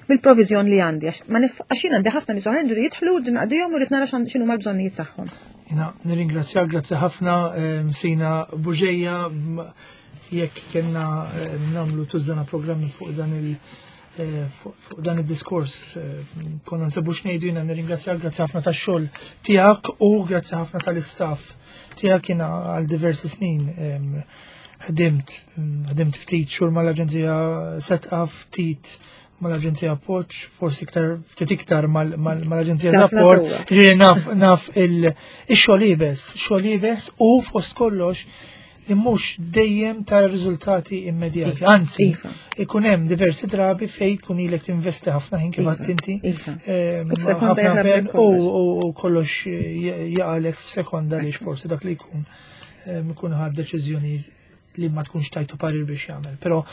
mill-proviżjon li għandi għax ma għax jien għandi ħafna nies oħrajn li jidħlu u naqdihom u rrid nara x'inhuma l-bżonnijiet tagħhom. Jiena nirringrazzjak, grazzi ħafna Sina Buġeja, jekk kellna nagħmlu tużżana programmi fuq dan il- fuq dan id-diskors konna nsebu x'ngħidu. Jiena nirringrazzjak, grazzi ħafna tax-xogħol tiegħek u grazzi ħafna tal-istaff tiegħek. Jiena għal diversi snin ħdimt ftit xhur mal-Aġenzija Setqa, ftit mal-Aġenzija Appoġġ, forsi iktar ftit iktar mal-Aġenzija Rapport. Ġifieri naf il-xogħol iebes, xogħol iebes u fost kollox li mhux dejjem tara riżultati immedjati. Anzi, ikun hemm diversi drabi fejn tkun ilek tinvesti ħafna ħin kif għedt inti. U f'sekonda ħafna jaħrab pen kollox. u kollox jaqalek f'sekonda li forsi dak li jkun. Ikun ħad deċiżjoni li ma tkunx tajtu parir biex jagħmel. Però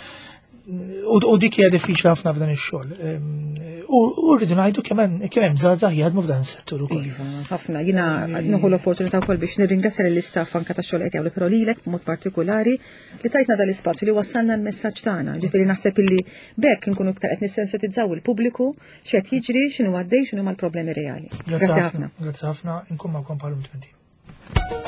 u dik hija diffiċli ħafna f'dan ix-xogħol. U rridu ngħidu kemm hemm żgħażagħ jaħdmu f'dan is-settur ukoll. Iva, ħafna. Jiena nieħu l-opportunità wkoll biex nirringrazzja lill-istaff anke tax-xogħol qed jagħmlu, però lilek b'mod partikolari li tajtna dal-ispazju li wassalna l-messaġġ tagħna. Ġifieri naħseb illi b'hekk inkunu iktar qed nissensitizzaw il-pubbliku x'qed jiġri, x'inhu għaddej, x'inhu l-problemi reali. Grazzi ħafna. Grazzi ħafna, inkun magħkom bħalum 20.